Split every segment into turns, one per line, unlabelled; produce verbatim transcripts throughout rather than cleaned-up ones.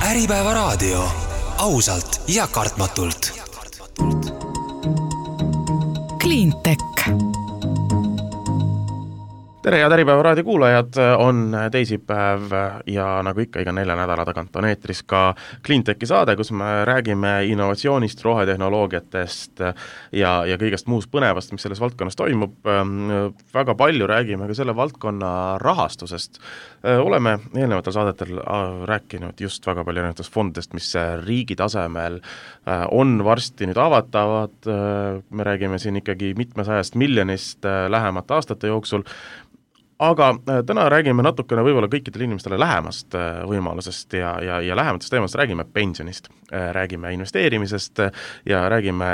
Äripäeva raadio. Ausalt ja kartmatult.
Cleantech.
Tere ja Äripäeva raadio kuulajad, on teisipäev ja nagu ikka iga nelja nädala tagant on eetris ka Cleantechi saade, kus me räägime innovatsioonist, rohetehnoloogiatest ja, ja kõigest muust põnevast, mis selles valdkonnas toimub. Väga palju räägime ka selle valdkonna rahastusest. Oleme eelnevatel saadetel rääkinud just väga palju erinevatest fondidest, mis riigi tasemel on varsti nüüd avatavad. Me räägime siin ikkagi mitmesajast miljonist lähemate aastate jooksul. Aga täna räägime natukene võib-olla kõikidele inimestele lähemast võimalusest ja, ja, ja lähematest teemast räägime pensionist, räägime investeerimisest ja räägime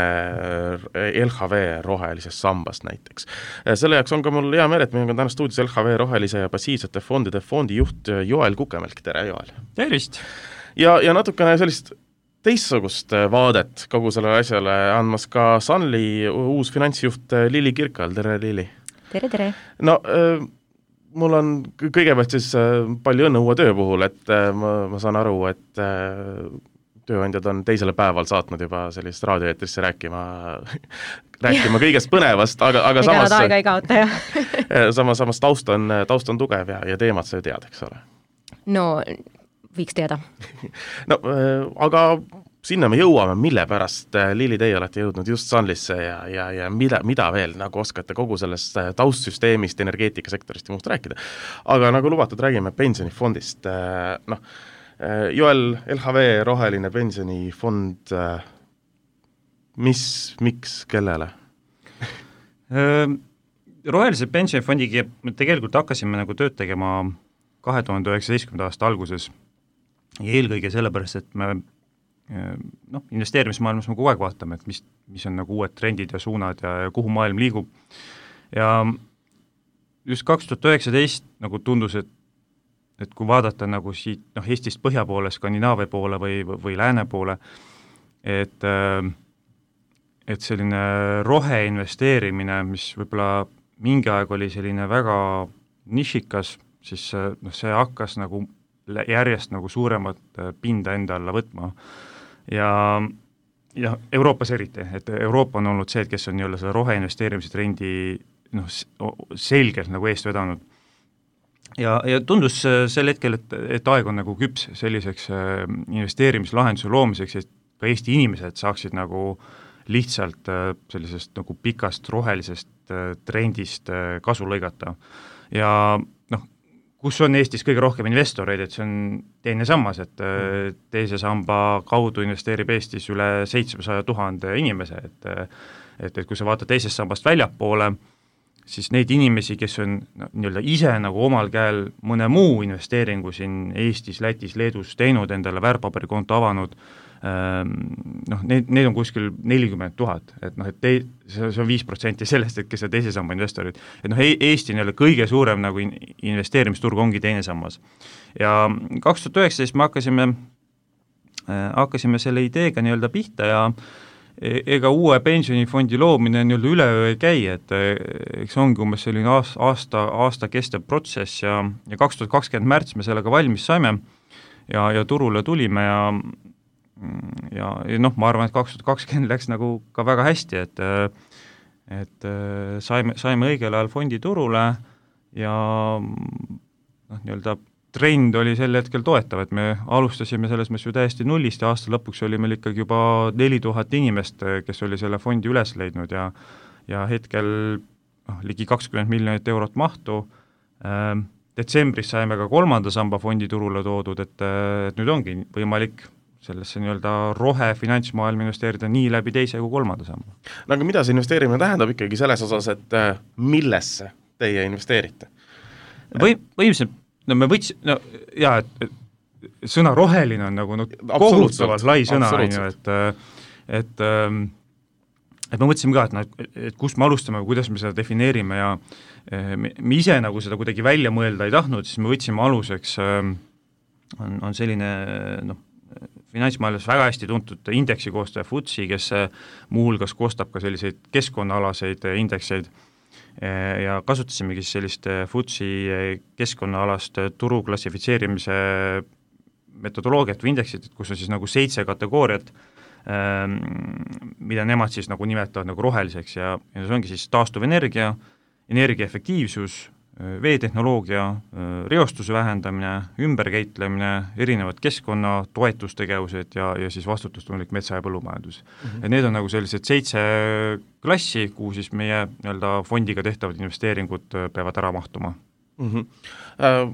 L H V rohelisest sambast näiteks. Selle jaoks on ka mul hea meel, et meil on täna stuudios L H V rohelise ja passiivsete fondide fondijuht Joel Kukemelk. Tere, Joel!
Tervist!
Ja, ja natukene sellist teistsugust vaadet kogu selle asjale andmas ka Sunly uus finantsjuht Lili Kirkal. Tere, Lili!
Tere, tere!
No, mul on kõigepealt siis palju õnne uue töö puhul, et ma, ma saan aru, et tööandjad on teisele päeval saatnud juba sellist raadioeetrisse rääkima, rääkima kõigest põnevast, aga, aga
Ega
samas,
nad aega ei kaota, jah.
samas, samas taust on, taust on tugev ja, ja teemad sa tead, eks ole?
No, võiks teada.
No, aga sinna me jõuame, mille pärast, Lili, teie olete jõudnud just Sunlysse ja, ja, ja mida, mida veel nagu oskate kogu sellest taustsüsteemist, energeetikasektorist ja muust rääkida. Aga nagu lubatud, räägime pensionifondist. No, Joel, L H V roheline pensionifond, mis, miks, kellele?
Rohelise pensionifondiga me tegelikult hakkasime nagu tööd tegema kahe tuhande üheksateistkümnenda aasta alguses ja eelkõige sellepärast, et me noh, investeerimismaailmas me kogu aeg vaatame, et mis, mis on nagu uued trendid ja suunad ja, ja kuhu maailm liigub. Ja just kaks tuhat üheksateist nagu tundus, et, et kui vaadata nagu siit noh, Eestist põhja poole, Skandinaavia poole või, või lääne poole, et, et selline roheinvesteerimine, mis võib-olla mingi aeg oli selline väga nišikas, siis noh, see hakkas nagu järjest nagu suuremat pinda enda alla võtma. Ja, ja Euroopas eriti, et Euroopa on olnud see, et kes on nii-öelda selle roheinvesteerimise trendi noh, selgelt nagu eest vedanud. Ja, ja tundus sel hetkel, et, et aeg on nagu küps selliseks investeerimislahenduse loomiseks, et ka Eesti inimesed saaksid nagu lihtsalt sellisest nagu pikast rohelisest trendist kasu lõigata. Ja noh, kus on Eestis kõige rohkem investoreid, et see on teine sammas, et teise samba kaudu investeerib Eestis üle seitsmesaja tuhande inimese, et, et, et kui sa vaatad teisest sambast väljapoole, siis neid inimesi, kes on no, nii-öelda ise nagu omal käel mõne muu investeeringu siin Eestis, Lätis, Leedus teinud, endale väärtpaberikonto avanud, noh, need, need on kuskil nelikümmend tuhat, et noh, et te, see on viis protsenti sellest, et kes on teise samba investorid. Et noh, Eesti nii-öelda kõige suurem nagu investeerimisturg ongi teine sammas. Ja kaks tuhat üheksateist me hakkasime, hakkasime selle ideega nii-öelda pihta ja ega uue pensionifondi loomine nii-öelda üleöö ei käi, et eks ongi umbes selline aasta, aasta kestev protsess ja, ja kaks tuhat kakskümmend märts me sellega valmis saime ja, ja turule tulime ja ja, ja noh, ma arvan, et kaks tuhat kakskümmend läks nagu ka väga hästi, et et saime, saime õigel ajal fondi turule ja noh, nii-öelda trend oli sel hetkel toetav, et me alustasime selles mõttes ju täiesti nullist ja aasta lõpuks oli meil ikkagi juba neli tuhat inimest, kes oli selle fondi üles leidnud ja, ja hetkel noh, ligi kakskümmend miljonit eurot mahtu. Detsembris saime ka kolmanda samba fondi turule toodud, et, et nüüd ongi võimalik sellesse nii-öelda rohe finantsmaailma investeerida nii läbi teise kui kolmanda samba.
No aga mida see investeerimine tähendab ikkagi selles osas, et millesse teie investeerite?
Või, võimselt, no me võts, no jaa, et, et sõna roheline on nagu no, kohutavalt lai sõna, et, et, et me mõtlesime ka, et, no, et kus me alustame, kuidas me seda defineerime ja me, me ise nagu seda kuidagi välja mõelda ei tahtnud, siis me võtsime aluseks, on, on selline noh, finantsmaailmas väga hästi tuntud indeksi koostaja F T S E, kes muuhulgas koostab ka selliseid keskkonnaalaseid indekseid ja kasutasimegi sellist F T S E keskkonnaalast turu klassifitseerimise metodoloogiat või indeksit, kus on siis nagu seitse kategooriat, mida nemad siis nagu nimetavad nagu roheliseks ja, ja see ongi siis taastuvenergia, energiaefektiivsus, veetehnoloogia, reostuse vähendamine, ümberkäitlemine, erinevad keskkonna toetustegevused ja, ja siis vastutustundlik metsa- ja põllumajandus. Mm-hmm. Et need on nagu sellised seitse klassi, kuhu siis meie nii-öelda fondiga tehtavad investeeringud peavad ära mahtuma.
Mm-hmm.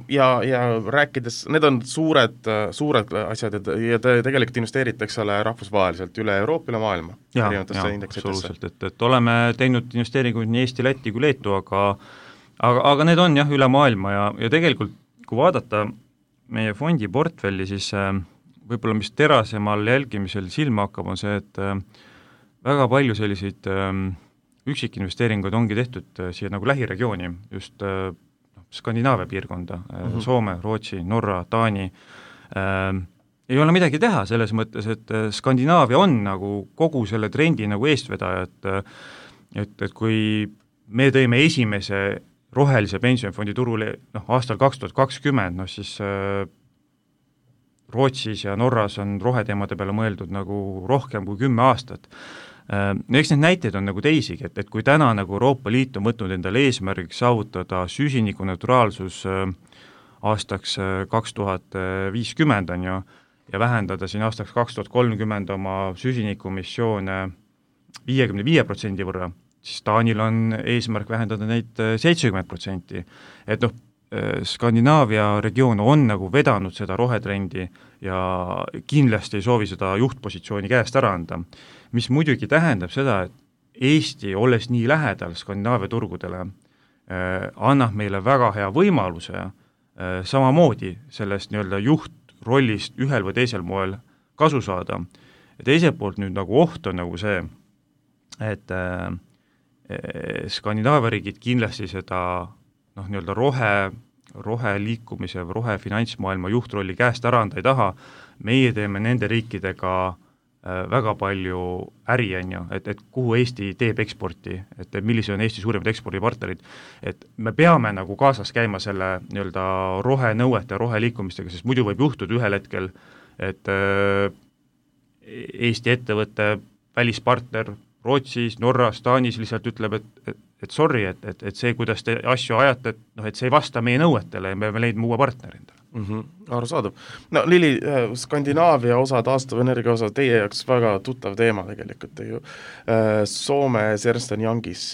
Ja, ja rääkides, need on suured, suured asjad ja te tegelikult investeeritakse rahvusvaheliselt üle Euroopa, üle maailma.
Jaa, jaa, absoluutselt, et, et oleme teinud investeeringuid nii Eesti, Läti kui Leetu, aga aga, aga need on jah, üle maailma ja, ja tegelikult kui vaadata meie fondi portfelli, siis äh, võib-olla mis terasemal jälgimisel silma hakkab, on see, et äh, väga palju selliseid äh, üksikinvesteeringuid ongi tehtud äh, siia nagu lähiregiooni, just äh, Skandinaavia piirkonda, mm-hmm. Soome, Rootsi, Norra, Taani, äh, ei ole midagi teha selles mõttes, et Skandinaavia on nagu kogu selle trendi nagu eestvedaja, et, et, et kui me tõime esimese rohelise pensionifondi turule noh, aastal kaks tuhat kakskümmend, noh siis äh, Rootsis ja Norras on roheteemade peale mõeldud nagu rohkem kui kümme aastat. Eks need näiteid on nagu teisigi, et, et kui täna nagu Euroopa Liit on võtnud endale eesmärgiks saavutada süsinikuneutraalsus aastaks kaks tuhat viiskümmend on ju, ja vähendada siin aastaks kaks tuhat kolmkümmend oma süsinikumissioone viiekümne viie protsendi võrra, siis Taanil on eesmärk vähendada neid seitsekümmend protsenti. Et noh, Skandinaavia regioon on nagu vedanud seda rohetrendi ja kindlasti ei soovi seda juhtpositsiooni käest ära anda, mis muidugi tähendab seda, et Eesti, olles nii lähedal Skandinaavia turgudele, eh, annab meile väga hea võimaluse eh, samamoodi sellest nii-öelda juhtrollist ühel või teisel moel kasu saada. Ja teiselt poolt nüüd nagu oht on nagu see, et eh, Skandinaavia riigid kindlasti seda noh, nii-öelda rohe, rohe liikumise või rohe finantsmaailma juhtrolli käest ära anda ei taha, meie teeme nende riikidega äh, väga palju äri, on ju, et, et kuhu Eesti teeb eksporti, et millised on Eesti suurimad ekspordipartnerid, et me peame nagu kaasas käima selle nii-öelda rohenõuete ja roheliikumistega, sest muidu võib juhtuda ühel hetkel, et äh, Eesti ettevõtte välispartner Rootsis, Norras, Taanis lihtsalt ütleb, et, et, et sorry, et, et, et see, kuidas te asju ajate, et, noh, et see ei vasta meie nõuetele ja me peame leidma uue partneri endale.
Mm-hmm. Arusaadav. No Lili, Skandinaavia osa, taastuvenergia osa, teie jaoks väga tuttav teema tegelikult ju. Soome Ernst and Youngis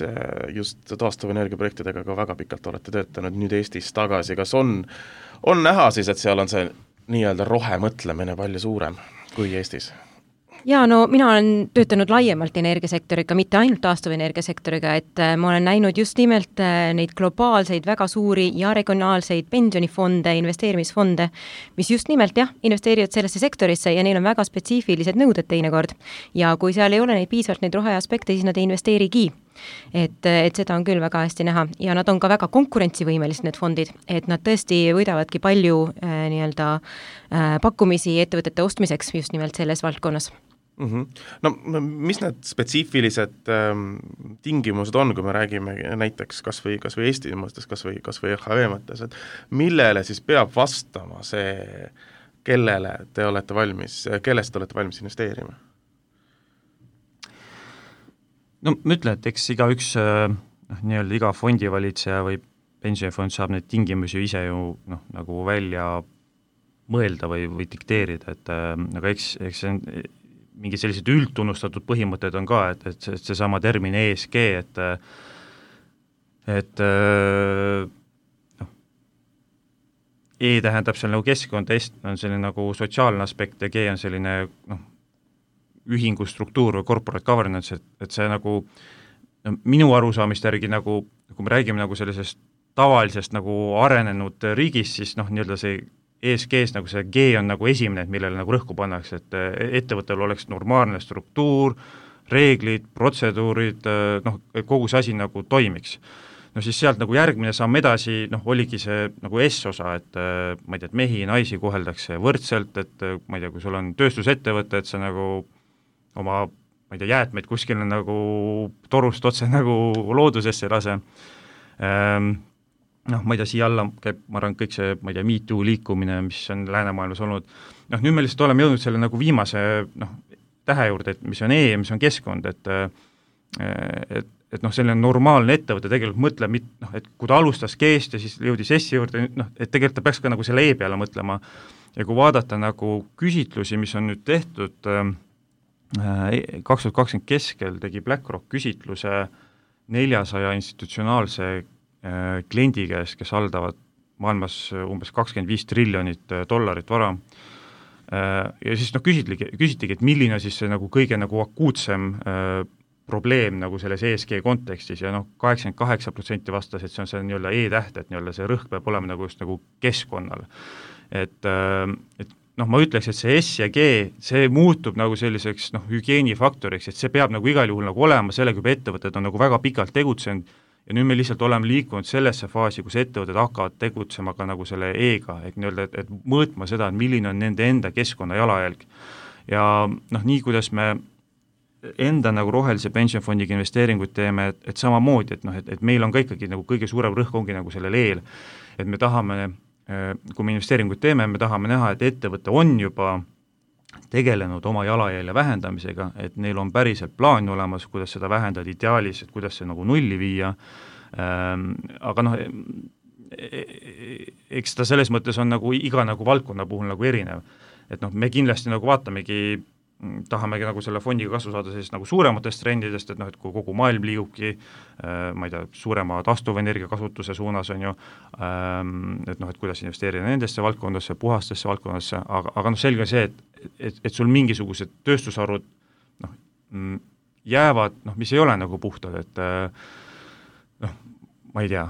just taastuvenergia projektidega ka väga pikalt olete töötanud, nüüd Eestis tagasi. Kas on, on näha siis, et seal on see nii-öelda rohemõtlemine palju suurem kui Eestis?
Jaa, no mina olen töötanud laiemalt energiasektoriga, mitte ainult taastuvenergiasektoriga, et ma olen näinud just nimelt neid globaalseid väga suuri ja regionaalseid pensionifonde, investeerimisfonde, mis just nimelt jah, investeerivad sellesse sektorisse ja neil on väga spetsiifilised nõuded teinekord. Ja kui seal ei ole neid piisavalt neid roheaspekte, siis nad ei investeerigi. Et, et seda on küll väga hästi näha ja nad on ka väga konkurentsivõimelised need fondid, et nad tõesti võidavadki palju äh, nii-öelda äh, pakkumisi ettevõtete ostmiseks just nimelt selles valdkonnas.
Mm-hmm. No mis need spetsiifilised ähm, tingimused on, kui me räägime näiteks kas või, kas või Eesti mõttes, kas või, kas või H V mõttes, et millele siis peab vastama see, kellele te olete valmis, kellest te olete valmis investeerima?
No ma ütlen, et eks iga üks noh, nii-öelda iga fondivalitseja või pensionifond saab neid tingimusi ise ju noh, nagu välja mõelda või, või dikteerida, et aga eks, eks see on mingi sellised üldtunnustatud põhimõtted on ka, et, et see, seesama termin E S G, et et noh, E tähendab seal nagu keskkond, S on selline nagu sotsiaalne aspekt ja G on selline noh, ühingu struktuur või corporate governance, et, et see nagu no, minu arusaamist järgi nagu, kui me räägime nagu sellisest tavalisest nagu arenenud riigist, siis noh, nii-öelda see E S G-s nagu see G on nagu esimene, millele nagu rõhku pannakse, et ettevõttel oleks normaalne struktuur, reeglid, protseduurid, noh, kogu see asi nagu toimiks. No siis sealt nagu järgmine samm edasi, noh, oligi see nagu S-osa, et ma ei tea, et mehi ja naisi koheldakse võrdselt, et ma ei tea, kui sul on tööstusettevõte, et sa nagu oma, ma ei tea, jäätmeid kuskil nagu torust otse nagu loodusesse lase. Ehm, noh, ma ei tea, siia alla käib, ma arvan, kõik see, ma ei tea, Me Too liikumine, mis on läänemaailmas olnud, noh, nüüd me lihtsalt oleme jõudnud selle nagu viimase, noh, tähe juurde, et mis on E ja mis on keskkond, et et, et noh, selline normaalne ettevõte tegelikult mõtleb, noh, et kui ta alustas G-st ja siis jõudis S-i juurde, noh, et tegelikult ta peaks ka nagu selle E peale mõtlema ja kui vaadata nagu küsitlusi, mis on nüüd tehtud kaks tuhat kakskümmend keskel, tegi BlackRock küsitluse neljasaja institutsionaalse kliendi käes, kes haldavad maailmas umbes kakskümmend viis triljonit dollarit vara. Ja siis noh, küsitligi, küsitigi, et milline siis see nagu kõige nagu akuutsem probleem nagu selles E S G kontekstis ja noh, kaheksakümmend kaheksa protsenti vastas, et see on see nii-öelda E-täht, et nii-öelda see rõhk peab olema nagu just nagu keskkonnal. Et, et noh, ma ütleks, et see S ja G, see muutub nagu selliseks noh, hügieenifaktoriks, et see peab nagu igal juhul nagu olema, sellega juba ettevõtted on nagu väga pikalt tegutsenud ja nüüd me lihtsalt oleme liikunud sellesse faasi, kus ettevõtted hakkavad tegutsema ka nagu selle E-ga, et nii-öelda, et, et mõõtma seda, et milline on nende enda keskkonna jalajälg. Ja noh, nii kuidas me enda nagu rohelise pensionfondiga investeeringuid teeme, et, et samamoodi, et noh, et, et meil on ka ikkagi nagu kõige suurem rõhk ongi nagu sellel eel, et me tahame, kui me investeeringuid teeme, me tahame näha, et ettevõte on juba tegelenud oma jalajälje vähendamisega, et neil on päriselt plaan olemas, kuidas seda vähendada ideaalis, et kuidas see nagu nulli viia, ähm, aga noh, eks ta selles mõttes on nagu iga nagu valdkonna puhul nagu erinev, et noh, me kindlasti nagu vaatamegi, tahamegi nagu selle fondiga kasu saada sellist nagu suurematest trendidest, et noh, et kui kogu maailm liigubki, ma ei tea, suurema taastuvenergia kasutuse suunas on ju, et noh, et kuidas investeerida nendesse valdkondadesse, puhastesse valdkondadesse, aga, aga noh, selge see, et, et, et sul mingisugused tööstusharud noh, jäävad, noh, mis ei ole nagu puhtad, et noh, ma ei tea,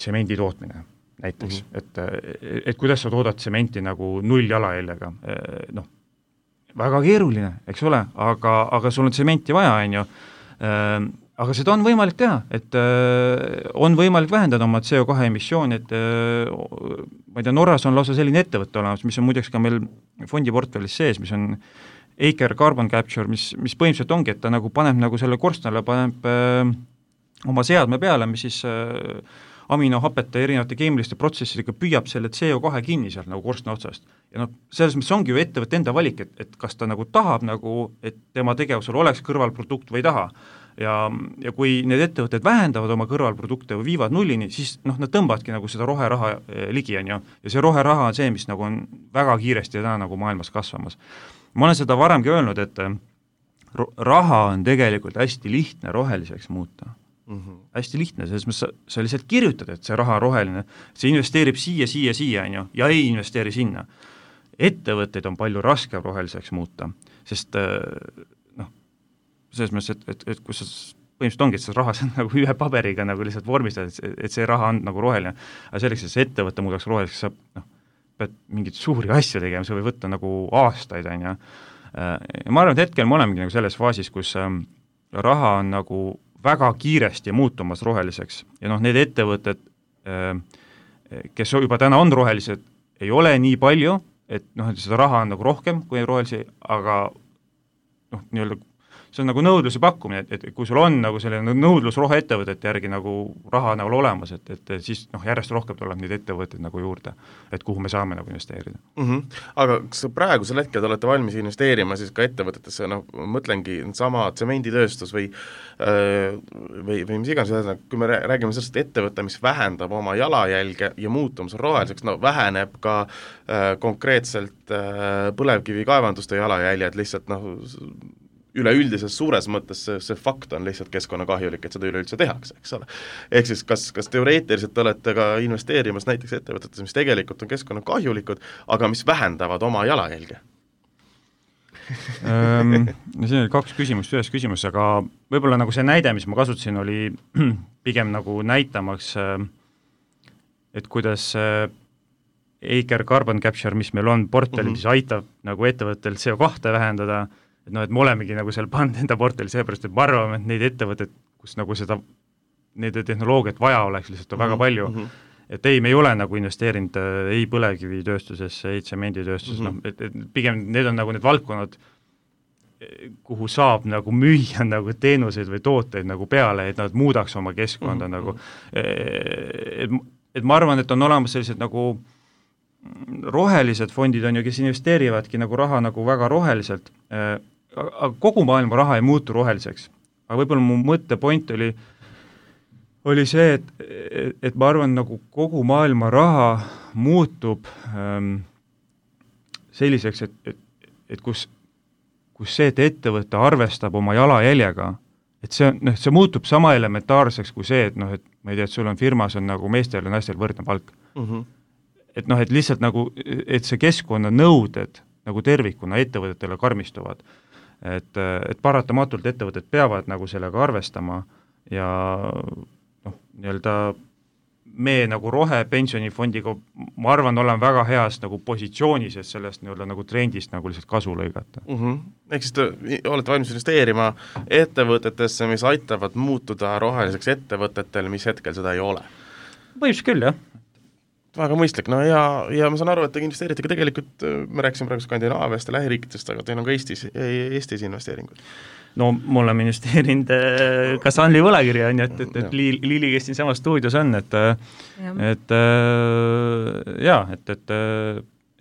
tsemendi tootmine näiteks, mm-hmm. et, et kuidas sa toodad tsementi nagu null jalajäljega, noh, väga keeruline, eks ole, aga, aga sul on tsementi vaja, on ju, aga seda on võimalik teha, et on võimalik vähendada oma C O kahe emissiooni, et ma ei tea, Norras on lausa selline ettevõtte olemas, mis on muideks ka meil fondiportfellis sees, mis on Aker Carbon Capture, mis, mis põhimõtteliselt ongi, et ta nagu paneb nagu selle korstnale, paneb oma seadme peale, mis siis aminohapete erinevate keemiliste protsessidega püüab selle C O kahe kinni sealt nagu korstna otsast. Ja noh, selles mõttes ongi ju ettevõtte enda valik, et, et kas ta nagu tahab nagu, et tema tegevusel oleks kõrvalprodukt või ei taha. Ja, ja kui need ettevõtted vähendavad oma kõrvalprodukte või viivad nullini, siis noh, nad tõmbavadki nagu seda roheraha ligi, on ju. Ja see roheraha on see, mis nagu on väga kiiresti täna nagu maailmas kasvamas. Ma olen seda varemgi öelnud, et raha on tegelikult hästi lihtne roheliseks muuta. Mm-hmm. Hästi lihtne, selles mõttes sa, sa lihtsalt kirjutad, et see raha on roheline, see investeerib siia, siia, siia, on ju, ja ei investeeri sinna. Ettevõtteid on palju raskem roheliseks muuta, sest noh, selles mõttes, et, et, et kus sa põhimõtteliselt ongi, et see raha on nagu ühe paberiga nagu lihtsalt vormistad, et, et see raha on nagu roheline, aga selleks, et see ettevõtte muudaks roheliseks, sa noh, pead mingid suuri asju tegema, see võib võtta nagu aastaid, on ju. Ja ma arvan, et hetkel me olemegi nagu selles faasis, kus raha on nagu väga kiiresti muutumas roheliseks ja noh, need ettevõtted, kes juba täna on rohelised, ei ole nii palju, et noh, et seda raha on nagu rohkem kui rohelisi, aga noh, nii-öelda see on nagu nõudluse pakkumine, et, et kui sul on nagu selline nõudlus roheettevõtete järgi nagu raha nagu olemas, et, et siis noh, järjest rohkem tuleb neid ettevõtteid nagu juurde, et kuhu me saame nagu investeerida.
Mm-hmm. Aga kas praegusel hetkel te olete valmis investeerima siis ka ettevõtetesse, noh, mõtlengi sama tsemenditööstus või, või, või mis iganes, kui me räägime sellest ettevõtte, mis vähendab oma jalajälge ja muutumus roheliseks, no väheneb ka äh, konkreetselt äh, põlevkivikaevanduste jalajäljed lihtsalt noh, üleüldises suures mõttes see, see fakt on lihtsalt keskkonnakahjulik, et seda üleüldse tehakse, eks ole. Ehk siis kas, kas teoreetiliselt olete ka investeerimas näiteks ettevõtetes, mis tegelikult on keskkonnakahjulikud, aga mis vähendavad oma jalajälge?
ähm, siin oli kaks küsimust ühes küsimus, aga võib-olla nagu see näide, mis ma kasutasin, oli pigem nagu näitamaks, et kuidas Aker Carbon Capture, mis meil on portfellis, mm-hmm. mis aitab nagu ettevõttel C O kahte vähendada, et noh, et me olemegi nagu seal pannud enda portfelli, seepärast, et me arvame, et neid ettevõtted, kus nagu seda, nende tehnoloogiat vaja oleks lihtsalt mm-hmm. väga palju, mm-hmm. et ei, me ei ole nagu investeerinud ei põlevkivitööstusesse, ei tsemenditööstusesse, mm-hmm. noh, et, et pigem need on nagu need valdkonnad, kuhu saab nagu müüa nagu teenuseid või tooteid nagu peale, et nad muudaks oma keskkonda mm-hmm. nagu, et, et ma arvan, et on olemas sellised nagu rohelised fondid on ju, kes investeerivadki nagu raha nagu väga roheliselt, aga kogu maailma raha ei muutu roheliseks. Aga võib-olla mu mõttepoint oli, oli see, et, et, et ma arvan, nagu kogu maailma raha muutub ähm, selliseks, et, et, et kus kus see, et ettevõte arvestab oma jalajäljega, et see, noh, see muutub sama elementaarseks kui see, et noh, et ma ei tea, et sul on firmas on nagu meestel ja naistel võrdne palk. Mm-hmm. Et noh, et lihtsalt nagu, et see keskkonna nõuded nagu tervikuna ettevõtetele karmistuvad. Et, et paratamatult ettevõtted peavad nagu sellega arvestama ja noh, nii-öelda me nagu rohepensionifondiga, ma arvan, olen väga heas nagu positsioonis, et sellest nii-öelda nagu trendist nagu lihtsalt kasu lõigata.
Mm-hmm. Ehk siis te olete valmis investeerima ettevõtetesse, mis aitavad muutuda roheliseks ettevõtetel, mis hetkel seda ei ole?
Põhimõtteliselt küll, jah.
Väga mõistlik, no ja, ja ma saan aru, et te investeerite ka tegelikult, me rääkisime praegu Skandinaaviast ja lähiriikidest, aga teil on ka Eestis, Eestis investeeringud. No me oleme investeerinud ka Sunly võlakirja, on ju, et, et, et Liili, kes siin samas stuudios on, et ja. et jaa, et, et,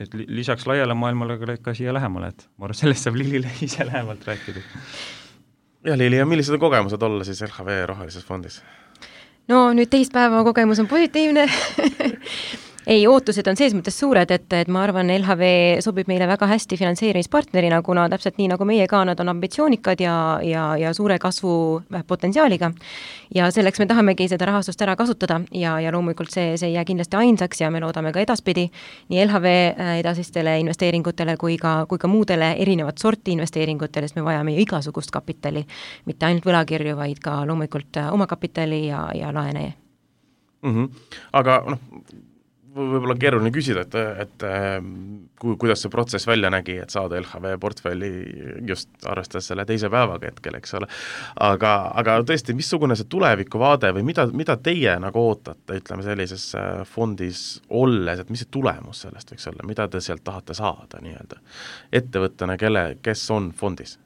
et lisaks laiale maailmale ka siia lähemale, et ma arvan, sellest saab Liilile ise lähemalt rääkida. Ja Liili, ja millised on kogemused olla siis L H V rohelises fondis?
No nüüd teist päeva kogemus on positiivne. Ei, ootused on sees mõttes suured, et, et ma arvan, L H V sobib meile väga hästi finantseerimispartnerina, kuna täpselt nii nagu meie ka, nad on ambitsioonikad ja, ja, ja suure kasvu potentsiaaliga. Ja selleks me tahamegi seda rahastust ära kasutada ja, ja loomulikult see, see ei jää kindlasti ainsaks ja me loodame ka edaspidi nii L H V edasistele investeeringutele kui ka, kui ka muudele erinevat sorti investeeringutele, sest me vajame igasugust kapitali, mitte ainult võlakirju, vaid ka loomulikult oma kapitali ja, ja laene.
Mm-hmm. Aga noh, võib-olla keeruline küsida, et, et ku, kuidas see protsess välja nägi, et saada L H V portfelli just arvestades selle teise päevaga hetkel, eks ole. Aga, aga tõesti, missugune see tulevikuvaade või mida, mida teie nagu ootate, ütleme sellises fondis olles, et mis see tulemus sellest võiks olla, mida te sealt tahate saada nii-öelda ettevõttena, kelle, kes on fondis?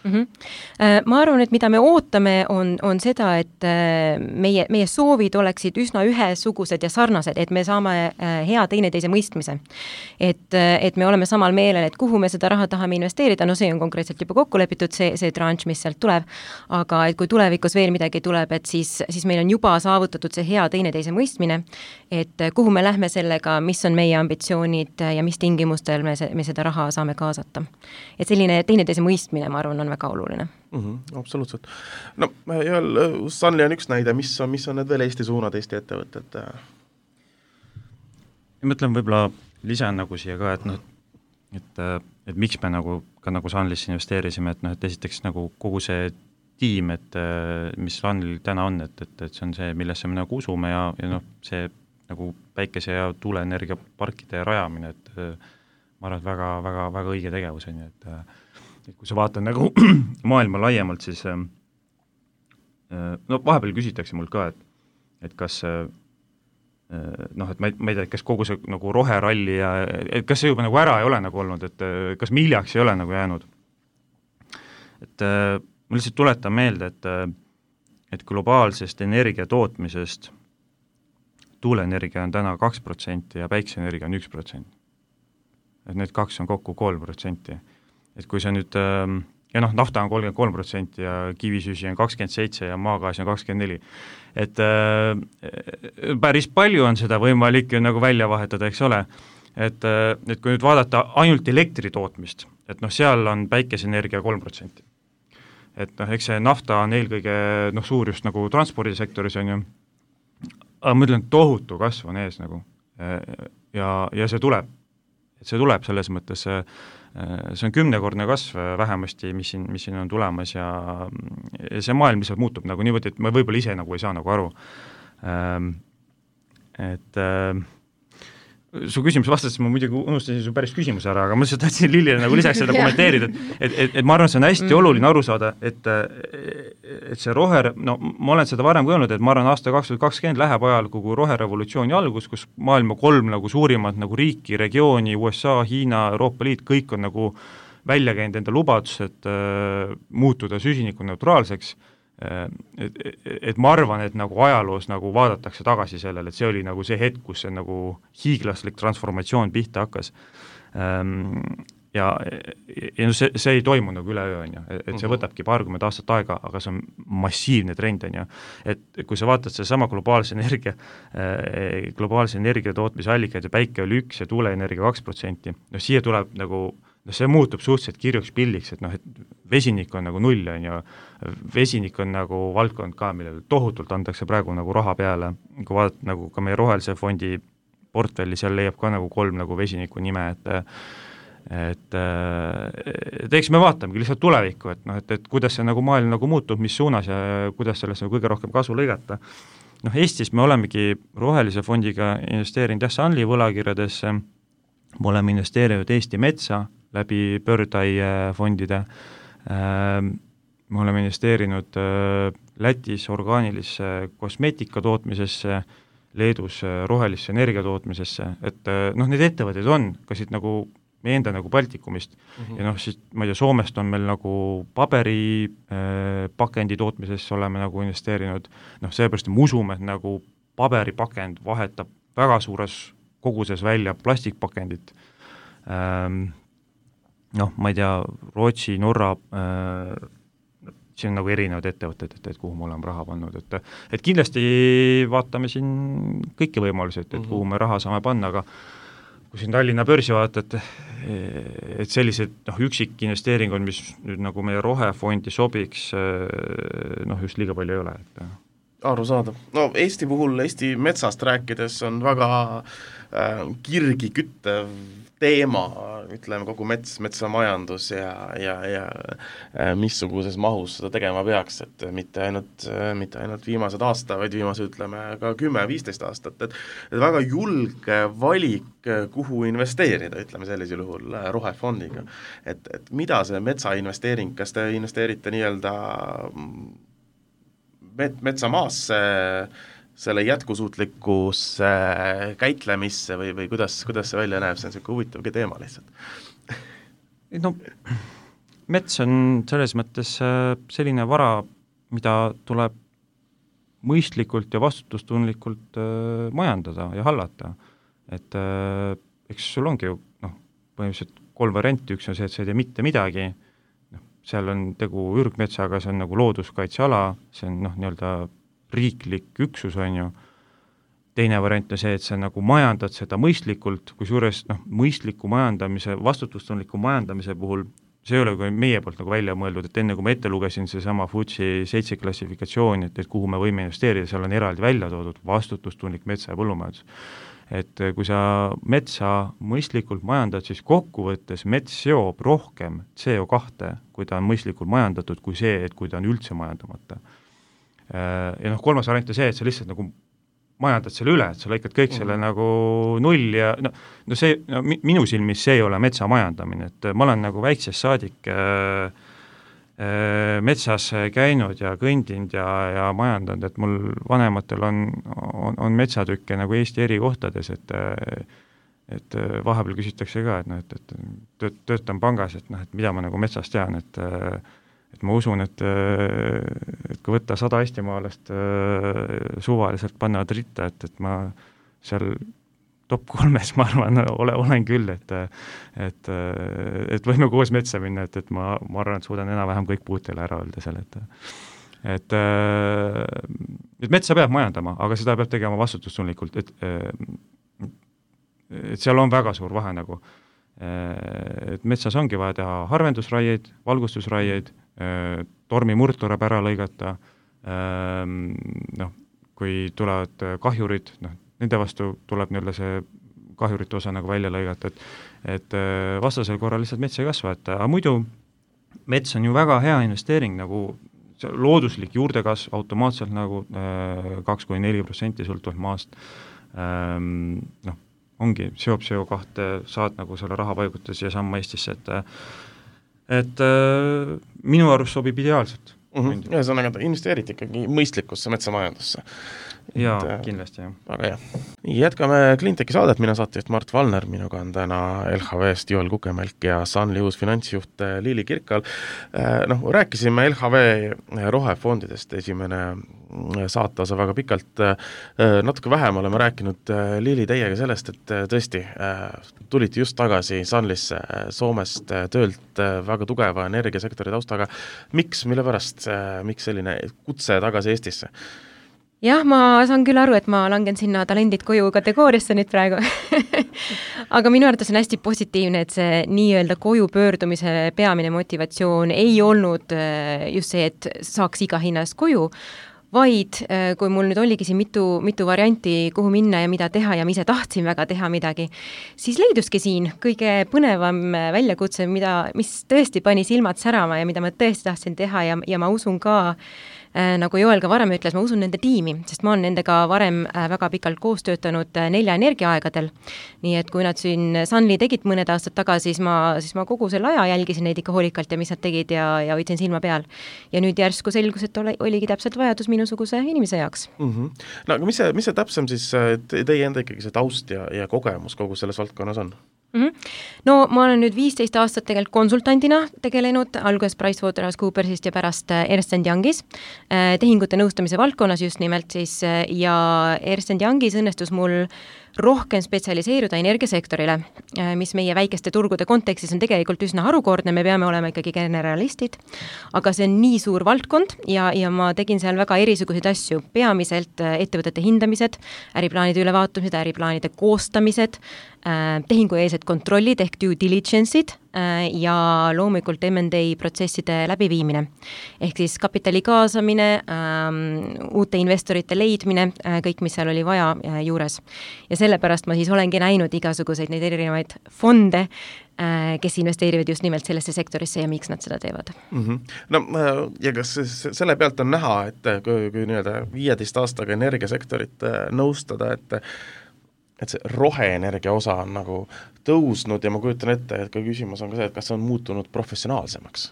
Mm-hmm. Ma arvan, et mida me ootame, on, on seda, et meie, meie soovid oleksid üsna ühesugused ja sarnased, et me saame hea teineteise mõistmise. Et, et me oleme samal meelel, et kuhu me seda raha tahame investeerida, no see on konkreetselt juba kokku lepitud, see, see tranš, mis sealt tuleb, aga et kui tulevikus veel midagi tuleb, et siis, siis meil on juba saavutatud see hea teineteise mõistmine, et kuhu me lähme sellega, mis on meie ambitsioonid ja mis tingimustel me, me seda raha saame kaasata. Et selline teineteise mõistmine, ma arvan, on väga oluline.
Mm-hmm, absoluutselt. No, ja Sunly on üks näide, mis on, mis on need veel Eesti suunad, Eesti ettevõtted?
Ja mõtlen võib-olla lisan nagu siia ka, et, noh, et, et miks me nagu, ka nagu Sunlysse investeerisime, et, noh, et esiteks nagu kogu see tiim, et mis Sunlyl täna on, et, et, et see on see, millesse me nagu usume ja, ja noh, see nagu päikese- ja tuuleenergiaparkide rajamine, et ma arvan, et väga, väga, väga õige tegevus on ju, et et kui sa vaatad nagu maailma laiemalt, siis no vahepeal küsitakse mul ka, et, et kas noh, et ma ei, ma ei tea, kas kogu see nagu roheralli ja et kas see juba nagu ära ei ole nagu olnud, et kas me hiljaks ei ole nagu jäänud. Et ma lihtsalt tuletan meelde, et, et globaalsest energia tootmisest tuuleenergia on täna kaks protsenti ja päikseenergia on üks protsent. Et need kaks on kokku kolm protsenti. Et kui see nüüd, ja noh, nafta on kolmkümmend kolm protsenti ja kivisüsi on kakskümmend seitse ja maagaasi on kakskümmend neli. Et äh, päris palju on seda võimalik ju nagu välja vahetada, eks ole. Et, et kui nüüd vaadata ainult elektri tootmist, et noh, seal on päikeseenergia kolm protsenti. Et noh, eks see nafta on eelkõige noh, suur just nagu transpordisektoris on ju, aga ma ütlen, tohutu kasv on ees nagu ja, ja see tuleb. Et see tuleb selles mõttes, see on kümnekordne kasv vähemasti, mis siin, mis siin on tulemas ja, ja see maailm lihtsalt muutub nagu niimoodi, et ma võib-olla ise nagu ei saa nagu aru. Et su küsimus vastas, ma muidugi unustasin su päris küsimus ära, aga ma lihtsalt tahtsin Lillile nagu lisaks seda kommenteerida, et, et, et, et ma arvan, see on hästi mm. oluline aru saada, et, et see roher, no ma olen seda varem öelnud, et ma arvan, aasta kaks tuhat kakskümmend läheb ajal kogu roherevolutsiooni algus, kus maailma kolm nagu suurimat nagu riiki, regiooni, U S A, Hiina, Euroopa Liit, kõik on nagu välja käinud enda lubadus, et äh, muutuda süsinikuneutraalseks, äh, et, et ma arvan, et nagu ajaloos nagu vaadatakse tagasi sellele, et see oli nagu see hetk, kus see nagu hiiglaslik transformatsioon pihta hakkas. Ähm, ja, ja no see, see ei toimu nagu üleöö, on ju, et see võtabki paarkümmend aastat aega, aga see on massiivne trend, on ju. Et kui sa vaatad see sama globaalse energia, globaalse energia tootmise allikaid ja päike oli üks ja tuuleenergia kaks protsenti, no siia tuleb nagu, no see muutub suhteliselt kirjuks pilliks, et noh, et vesinik on nagu null, on ju, vesinik on nagu valdkond ka, millele tohutult antakse praegu nagu raha peale, kui vaadata nagu ka meie rohelise fondi portfelli, seal leiab ka nagu kolm nagu vesiniku nime, et et, et eks me vaatamegi lihtsalt tulevikku, et noh, et, et kuidas see nagu maailm nagu muutub, mis suunas ja kuidas sellest nagu kõige rohkem kasu lõigata. Noh, Eestis me olemegi rohelise fondiga investeerinud jah, Sunly võlakirjadesse, me oleme investeerinud Eesti metsa läbi Birdeye fondide, me oleme investeerinud Lätis orgaanilisse kosmeetika tootmisesse, Leedus rohelisse energia tootmisesse, et noh, need ettevõtted on, kas siit nagu meie enda nagu Baltikumist mm-hmm. ja noh, siis ma ei tea, Soomest on meil nagu paberi äh, pakendi tootmisesse oleme nagu investeerinud, noh, seepärast me usume, et nagu paberipakend vahetab väga suures koguses välja plastikpakendit. Ähm, noh, ma ei tea, Rootsi, Norra, äh, siin on nagu erinevad ettevõtted, et, et kuhu me oleme raha pannud, et, et kindlasti vaatame siin kõiki võimalusi, et, et kuhu me raha saame panna, aga kui siin Tallinna börsi vaatad, et sellised noh, üksik investeeringud, mis nüüd nagu meie rohefondi sobiks, noh, just liiga palju ei ole. Et
aru saada. No Eesti puhul, Eesti metsast rääkides on väga äh, kirgi küttev teema, ütleme kogu mets, metsamajandus ja, ja, ja äh, missuguses mahus seda tegema peaks, et mitte ainult, mitte ainult viimased aasta, vaid viimased ütleme ka kümme viisteist aastat, et, et väga julge valik, kuhu investeerida, ütleme sellisel juhul rohefondiga. Et, et mida see metsainvesteering, kas te investeerite nii-öelda met, metsamaasse, selle jätkusuutlikkusse käitlemisse või, või kuidas, kuidas see välja näeb, see on selline huvitavgi teema lihtsalt.
No, mets on selles mõttes selline vara, mida tuleb mõistlikult ja vastutustundlikult majandada ja hallata. Et eks sul ongi ju noh, põhimõtteliselt kolm varianti, üks on see, et sa ei tee mitte midagi, noh, seal on tegu ürgmetsaga, see on nagu looduskaitseala, see on noh, nii-öelda riiklik üksus on ju, teine variant on see, et sa nagu majandad seda mõistlikult, kus juures noh, mõistliku majandamise, vastutustundliku majandamise puhul, see ei ole kui meie poolt nagu välja mõeldud, et enne kui ma ette lugesin see sama F T S E seitse klassifikatsiooni, et, et kuhu me võime investeerida, seal on eraldi välja toodud vastutustundlik metsa ja põllumajandus. Et kui sa metsa mõistlikult majandad, siis kokkuvõttes mets seob rohkem C O kahte, kui ta on mõistlikult majandatud, kui see, et kui ta on üldse majandamata. Ja noh, kolmas variant on see, et sa lihtsalt nagu majandad selle üle, et sa lõikad kõik selle mm. nagu null ja no, no see, no, minu silmis see ei ole metsa majandamine, et ma olen nagu väiksest saadik äh, äh, metsas käinud ja kõndinud ja, ja majandanud, et mul vanematel on, on, on metsatükke nagu Eesti eri kohtades, et et vahepeal küsitakse ka, et noh, et, et töötan pangas, et noh, et mida ma nagu metsast tean, et et ma usun, et, et kui võtta sada eestimaalast suvaliselt panna ritta, et, et ma seal top kolmes, ma arvan, ole, olen küll, et et, et võime koos metsa minna, et, et ma, ma arvan, et suudan enam-vähem kõik puutele ära öelda seal, et et, et metsa peab majandama, aga seda peab tegema vastutustundlikult, et, et seal on väga suur vahe nagu, et metsas ongi vaja teha harvendusraieid, valgustusraieid, tormi murd tuleb ära lõigata, noh, kui tulevad kahjurid, noh, nende vastu tuleb nii-öelda see kahjurite osa nagu välja lõigata, et, et vastasel korral lihtsalt mets ei kasva, et aga muidu mets on ju väga hea investeering, nagu looduslik juurdekasv automaatselt nagu kaks kuni neli protsenti sõltuvalt maast, noh, ongi, seob C O kahte, saad nagu selle raha paigutada siia samma Eestisse, et et äh, minu arust sobib ideaalselt.
mm. -hmm. Ühesõnaga, investeeriti ikkagi mõistlikusse metsamajandusse.
Jaa,
et,
kindlasti, jah.
Väga hea. Jätkame Cleantechi saadet, mina saatejuht Mart Valner, minuga on täna L H V-st Joel Kukemelk ja Sunly uus finantsjuht Liili Kirkal. Noh, rääkisime L H V rohefondidest esimene saateosa väga pikalt, natuke vähem oleme rääkinud Liili teiega sellest, et tõesti tulite just tagasi Sunlysse Soomest töölt väga tugeva energiasektori taustaga. Miks, mille pärast, miks selline kutse tagasi Eestisse?
Jah, ma saan küll aru, et ma langen sinna talendid koju kategooriasse nüüd praegu. Aga minu arvates on hästi positiivne, et see nii-öelda koju pöördumise peamine motivatsioon ei olnud just see, et saaks iga hinnast koju, vaid kui mul nüüd oligi siin mitu, mitu varianti, kuhu minna ja mida teha ja ma ise tahtsin väga teha midagi, siis leiduski siin kõige põnevam väljakutse, mida, mis tõesti pani silmad särama ja mida ma tõesti tahtsin teha ja, ja ma usun ka, nagu Joel ka varem ütles, ma usun nende tiimi, sest ma olen nendega varem väga pikalt koos töötanud nelja energiaaegadel. Nii et kui nad siin Sunly tegid mõned aastad tagasi, siis ma, siis ma kogu selle aja jälgisin neid ikka hoolikalt ja mis nad tegid ja, ja hoidsin silma peal. Ja nüüd järsku selgus, et ole, oligi täpselt vajadus minusuguse inimese jaoks.
Mm -hmm. No aga mis see, mis see täpsem siis teie enda ikkagi see taust ja, ja kogemus kogu selles valdkonnas on?
Mm -hmm. No ma olen nüüd viisteist aastat tegelikult konsultantina tegelenud, alguses PricewaterhouseCoopersist ja pärast Ernst and Youngis, tehingute nõustamise valdkonnas just nimelt siis, ja Ernst and Youngis õnnestus mul rohkem spetsialiseeruda energiasektorile, mis meie väikeste turgude kontekstis on tegelikult üsna harukordne, me peame olema ikkagi generalistid, aga see on nii suur valdkond ja, ja ma tegin seal väga erisuguseid asju, peamiselt ettevõtete hindamised, äriplaanide ülevaatumised, äriplaanide koostamised, tehingueelsed kontrollid ehk due diligence'id ja loomulikult M and A protsesside läbiviimine. Ehk siis kapitali kaasamine, uute investorite leidmine, kõik, mis seal oli vaja juures. Ja sellepärast ma siis olengi näinud igasuguseid neid erinevaid fonde, kes investeerivad just nimelt sellesse sektorisse ja miks nad seda teevad.
Mm -hmm. No ja kas selle pealt on näha, et kui, kui nii-öelda viieteist aastaga energiasektorit nõustada, et et see roheenergia osa on nagu tõusnud ja ma kujutan ette, et ka küsimus on ka see, et kas see on muutunud professionaalsemaks?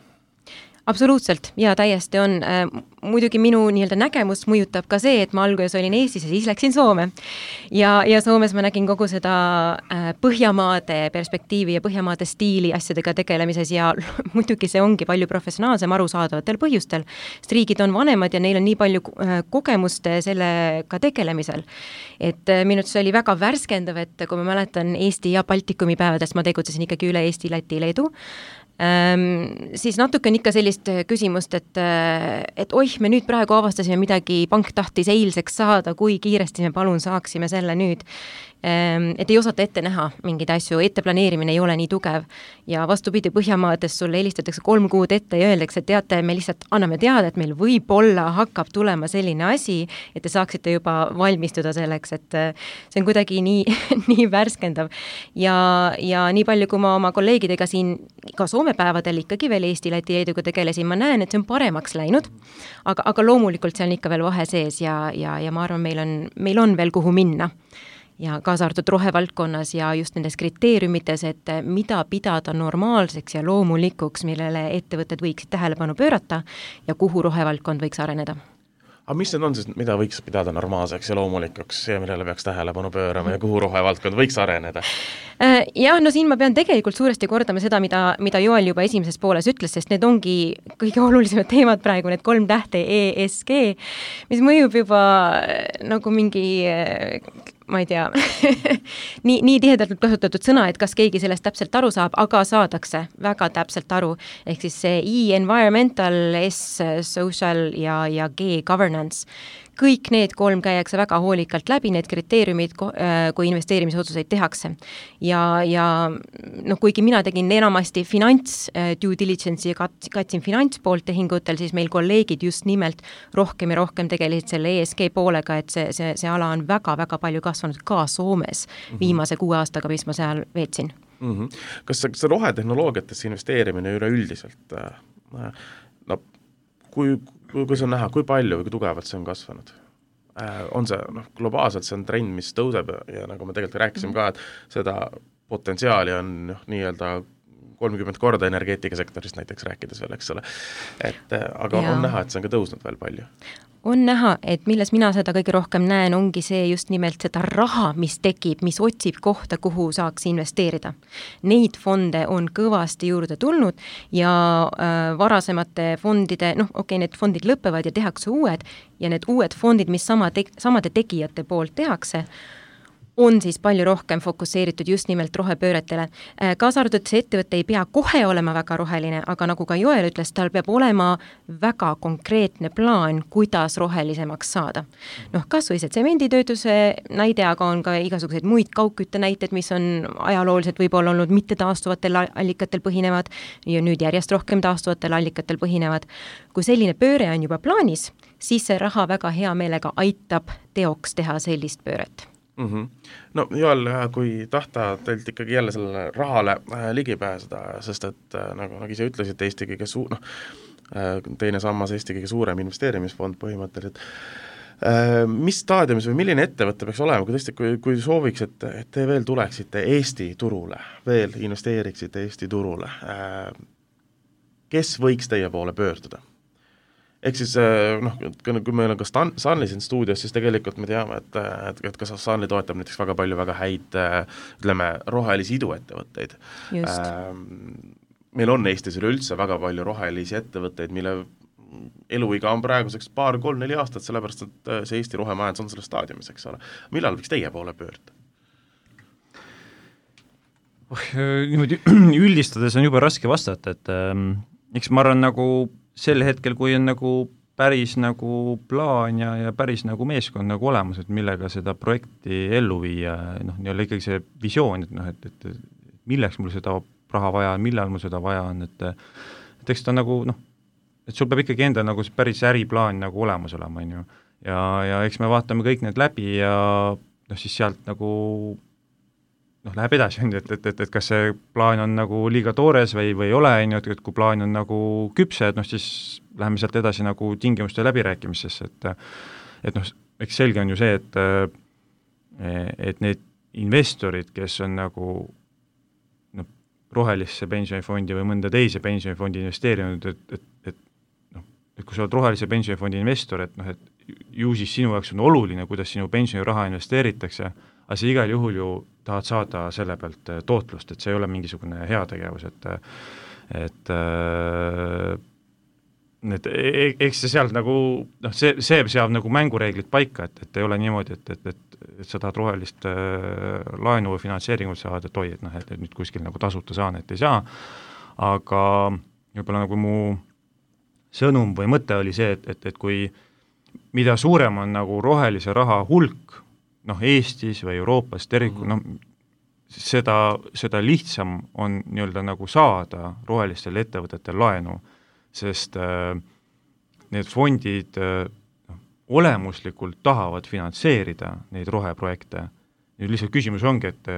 Absoluutselt, ja täiesti on. Muidugi minu nii-öelda nägemus mõjutab ka see, et ma alguses olin Eestis ja siis läksin Soome. Ja, ja Soomes ma nägin kogu seda Põhjamaade perspektiivi ja Põhjamaade stiili asjadega tegelemises ja muidugi see ongi palju professionaalsem arusaadavatel põhjustel, sest riigid on vanemad ja neil on nii palju kogemust sellega tegelemisel. Et minu arvates oli väga värskendav, et kui ma mäletan Eesti ja Baltikumi päevadest, ma tegutsesin ikkagi üle Eesti, Läti, Leedu, Ähm, siis natuke on ikka sellist küsimust, et, et oih, me nüüd praegu avastasime midagi, pank tahtis eilseks saada, kui kiiresti me palun saaksime selle nüüd. Ähm, et ei osata ette näha mingeid asju, ette planeerimine ei ole nii tugev ja vastupidi, Põhjamaades sulle helistatakse kolm kuud ette ja öeldakse, et teate, me lihtsalt anname teada, et meil võib-olla hakkab tulema selline asi, et te saaksite juba valmistuda selleks, et see on kuidagi nii, nii värskendav. Ja, ja nii palju, kui ma oma kolleegidega siin ka Soome päevadel ikkagi veel Eesti, Läti, Leeduga tegelesin, ma näen, et see on paremaks läinud, aga, aga loomulikult see on ikka veel vahe sees ja, ja, ja ma arvan, meil on, meil on veel kuhu minna. Ja kaasa arvatud rohevaldkonnas ja just nendes kriteeriumites, et mida pidada normaalseks ja loomulikuks, millele ettevõtted võiksid tähelepanu pöörata ja kuhu rohevaldkond võiks areneda.
Aga mis need on siis, mida võiks pidada normaalseks ja loomulikuks ja millele peaks tähelepanu pöörama ja kuhu rohevaldkond võiks areneda?
Jah, no siin ma pean tegelikult suuresti kordama seda, mida, mida Joel juba esimeses pooles ütles, sest need ongi kõige olulisemad teemad praegu, need kolm tähte E S G, mis mõjub juba nagu mingi ma ei tea, nii, nii tihedalt kasutatud sõna, et kas keegi sellest täpselt aru saab, aga saadakse väga täpselt aru. Ehk siis see E, environmental, S, social ja, ja G, governance. Kõik need kolm käiakse väga hoolikalt läbi, need kriteeriumid, kui investeerimisotsuseid tehakse. Ja, ja noh, kuigi mina tegin enamasti finants due diligence ja katsin finantspoolt tehingutel, siis meil kolleegid just nimelt rohkem ja rohkem tegelesid selle E S G poolega, et see, see, see ala on väga-väga palju kasvanud ka Soomes viimase kuue aastaga, mis ma seal veetsin.
Mm-hmm. Kas see, see rohetehnoloogiatesse investeerimine üleüldiselt, no, kui kui see on näha, kui palju või kui tugevalt see on kasvanud? On see, noh, globaalselt see on trend, mis tõuseb ja nagu me tegelikult rääkisime ka, et seda potentsiaali on noh, nii-öelda kolmkümmend korda energeetikasektorist näiteks rääkides veel, eks ole. Et aga ja. on näha, et see on ka tõusnud veel palju.
On näha, et milles mina seda kõige rohkem näen, ongi see just nimelt seda raha, mis tekib, mis otsib kohta, kuhu saaks investeerida. Neid fonde on kõvasti juurde tulnud ja äh, varasemate fondide, noh okei okay,, need fondid lõpevad ja tehakse uued ja need uued fondid, mis sama te- samade tegijate poolt tehakse, on siis palju rohkem fokusseeritud just nimelt rohepööretele. Kaasa arvatud, see ettevõte ei pea kohe olema väga roheline, aga nagu ka Joel ütles, tal peab olema väga konkreetne plaan, kuidas rohelisemaks saada. Noh, kas või see tsemenditöötuse näide, aga on ka igasuguseid muid kaugkütte näited, mis on ajalooliselt võib-olla olnud mitte taastuvatel allikatel põhinevad ja nüüd järjest rohkem taastuvatel allikatel põhinevad. Kui selline pööre on juba plaanis, siis see raha väga hea meelega aitab teoks teha sellist pööret.
Mm-hmm. No Joel, kui tahta teilt ikkagi jälle sellele rahale äh, ligi pääseda, sest et äh, nagu, nagu ise ütlesid, Eesti kõige suu-, noh, äh, teine sammas Eesti kõige suurem investeerimisfond põhimõtteliselt. Äh, mis staadiumis või milline ettevõte peaks olema, kui tõesti, kui, kui sooviks, et, et te veel tuleksite Eesti turule, veel investeeriksite Eesti turule, äh, kes võiks teie poole pöörduda? Ehk siis, noh, kui meil on ka Stan, Stanley siin stuudios, siis tegelikult me teame, et, et, et kas Stanley toetab näiteks väga palju väga häid, ütleme, rohelisi iduettevõtteid. Meil on Eestis üleüldse väga palju rohelisi ettevõtteid, mille eluiga on praeguseks paar, kolm, neli aastat, sellepärast, et see Eesti rohemajandus on selle staadiumis, eks ole. Millal võiks teie poole pöörda?
Oh, niimoodi üldistades on juba raske vastata, et ähm, eks ma arvan nagu sel hetkel, kui on nagu päris nagu plaan ja, ja päris nagu meeskond nagu olemas, et millega seda projekti ellu viia, noh, nii-olla ikkagi see visioon, et noh, et, et, et milleks mul seda raha vaja on, millal mul seda vaja on, et et eks ta nagu, noh, et sul peab ikkagi enda nagu päris äriplaan nagu olemas olema, on ju. Ja, ja eks me vaatame kõik need läbi ja noh, siis sealt nagu noh, läheb edasi, et, et, et, et kas see plaan on nagu liiga toores või, või ei ole, et, et kui plaan on nagu küpse, et noh, siis läheme sealt edasi nagu tingimuste läbirääkimistesse, et et noh, eks selge on ju see, et et need investorid, kes on nagu noh, rohelisse pensionifondi või mõnda teise pensionifondi investeerinud, et, et, et noh, et kui sa oled rohelise pensionifondi investor, et noh, et ju siis sinu jaoks on oluline, kuidas sinu pensioniraha investeeritakse, aga sa igal juhul ju tahad saada selle pealt tootlust, et see ei ole mingisugune heategevus, et et et eks see sealt nagu, noh, see, see seab nagu mängureeglid paika, et, et ei ole niimoodi, et, et, et, et sa tahad rohelist äh, laenu või finantseeringut saada, et oi, et noh, et, et nüüd kuskil nagu tasuta saan, et ei saa, aga võib-olla nagu mu sõnum või mõte oli see, et, et, et kui mida suurem on nagu rohelise raha hulk, noh, Eestis või Euroopas tervikul, noh, seda, seda lihtsam on nii-öelda nagu saada rohelistel ettevõtetel laenu, sest äh, need fondid äh, olemuslikult tahavad finantseerida neid roheprojekte. Nüüd lihtsalt küsimus ongi, et,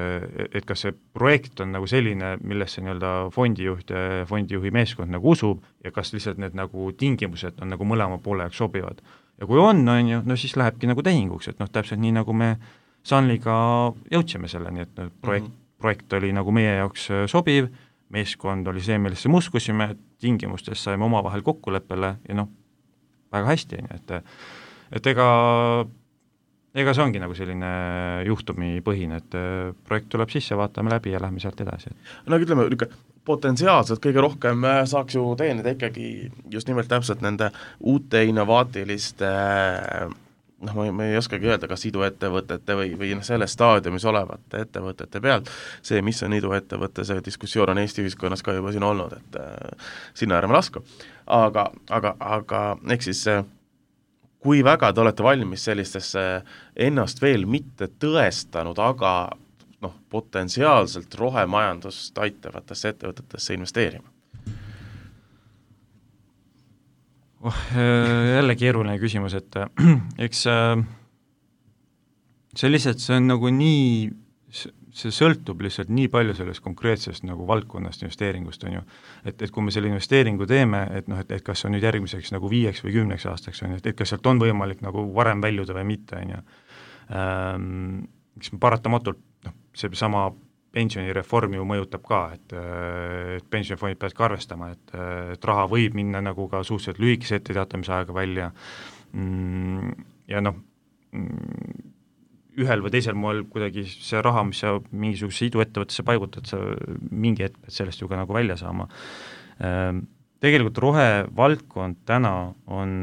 et kas see projekt on nagu selline, millesse nii-öelda fondijuht ja fondijuhi meeskond nagu usub ja kas lihtsalt need nagu tingimused on nagu mõlema poole jaoks sobivad. Ja kui on, on ju, no siis lähebki nagu tehinguks, et noh, täpselt nii nagu me Sanliga jõudsime selleni, et projekt, mm -hmm. projekt oli nagu meie jaoks sobiv, meeskond oli see, millesse me uskusime, tingimustes saime omavahel kokkuleppele ja noh, väga hästi, et, et ega, ega see ongi nagu selline juhtumipõhine, et projekt tuleb sisse, vaatame läbi ja lähme sealt edasi.
No ütleme, potentsiaalselt kõige rohkem saaks ju teenida ikkagi just nimelt täpselt nende uute innovaatiliste noh, ma, ma ei oskagi öelda, kas iduettevõtete või, või selles staadiumis olevate ettevõtete pealt, see, mis on iduettevõte, see diskussioon on Eesti ühiskonnas ka juba siin olnud, et äh, sinna ärme lasku. Aga, aga, aga eks siis äh, kui väga te olete valmis sellistesse ennast veel mitte tõestanud, aga noh, potentsiaalselt rohemajandust aitavatesse ettevõtetesse investeerima?
Oh, jälle keeruline küsimus, et eks see lihtsalt, see on nagu nii, see sõltub lihtsalt nii palju sellest konkreetsest nagu valdkonnast investeeringust, on ju, et, et kui me selle investeeringu teeme, et noh, et, et kas on nüüd järgmiseks nagu viieks või kümneks aastaks, on ju, et, et kas sealt on võimalik nagu varem väljuda või mitte, on ju. Eks me paratamatult, noh, see sama pensionireform ju mõjutab ka, et, et pensionifondid peavad ka arvestama, et, et raha võib minna nagu ka suhteliselt lühikese etteteatamise aega välja ja noh, ühel või teisel moel kuidagi see raha, mis sa mingisuguse iduettevõttesse paigutad, sa mingi hetk pead sellest ju ka nagu välja saama. Tegelikult rohevaldkond täna on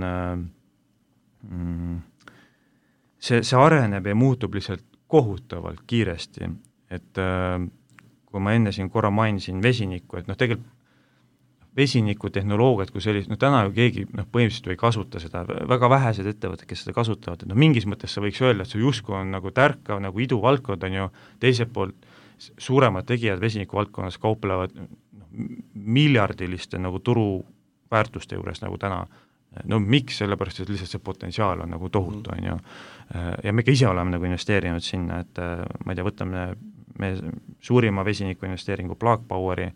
see, see areneb ja muutub lihtsalt kohutavalt kiiresti, et kui ma enne siin korra mainisin vesinikku, et noh, tegelikult vesinikutehnoloogiat kui sellist, no täna ju keegi noh, põhimõtteliselt ei kasuta seda, väga vähesed ettevõtted, kes seda kasutavad, et noh, mingis mõttes sa võiks öelda, et see justkui on nagu tärkav, nagu iduvaldkond on ju, teiselt poolt suuremad tegijad vesinikuvaldkonnas kauplevad no, miljardiliste nagu turuväärtuste juures nagu täna. No miks, sellepärast, et lihtsalt see potentsiaal on nagu tohutu, on ju. Ja me ka ise oleme nagu investeerinud sinna, et ma ei tea, võtame me suurima vesiniku investeeringu Plug Poweri,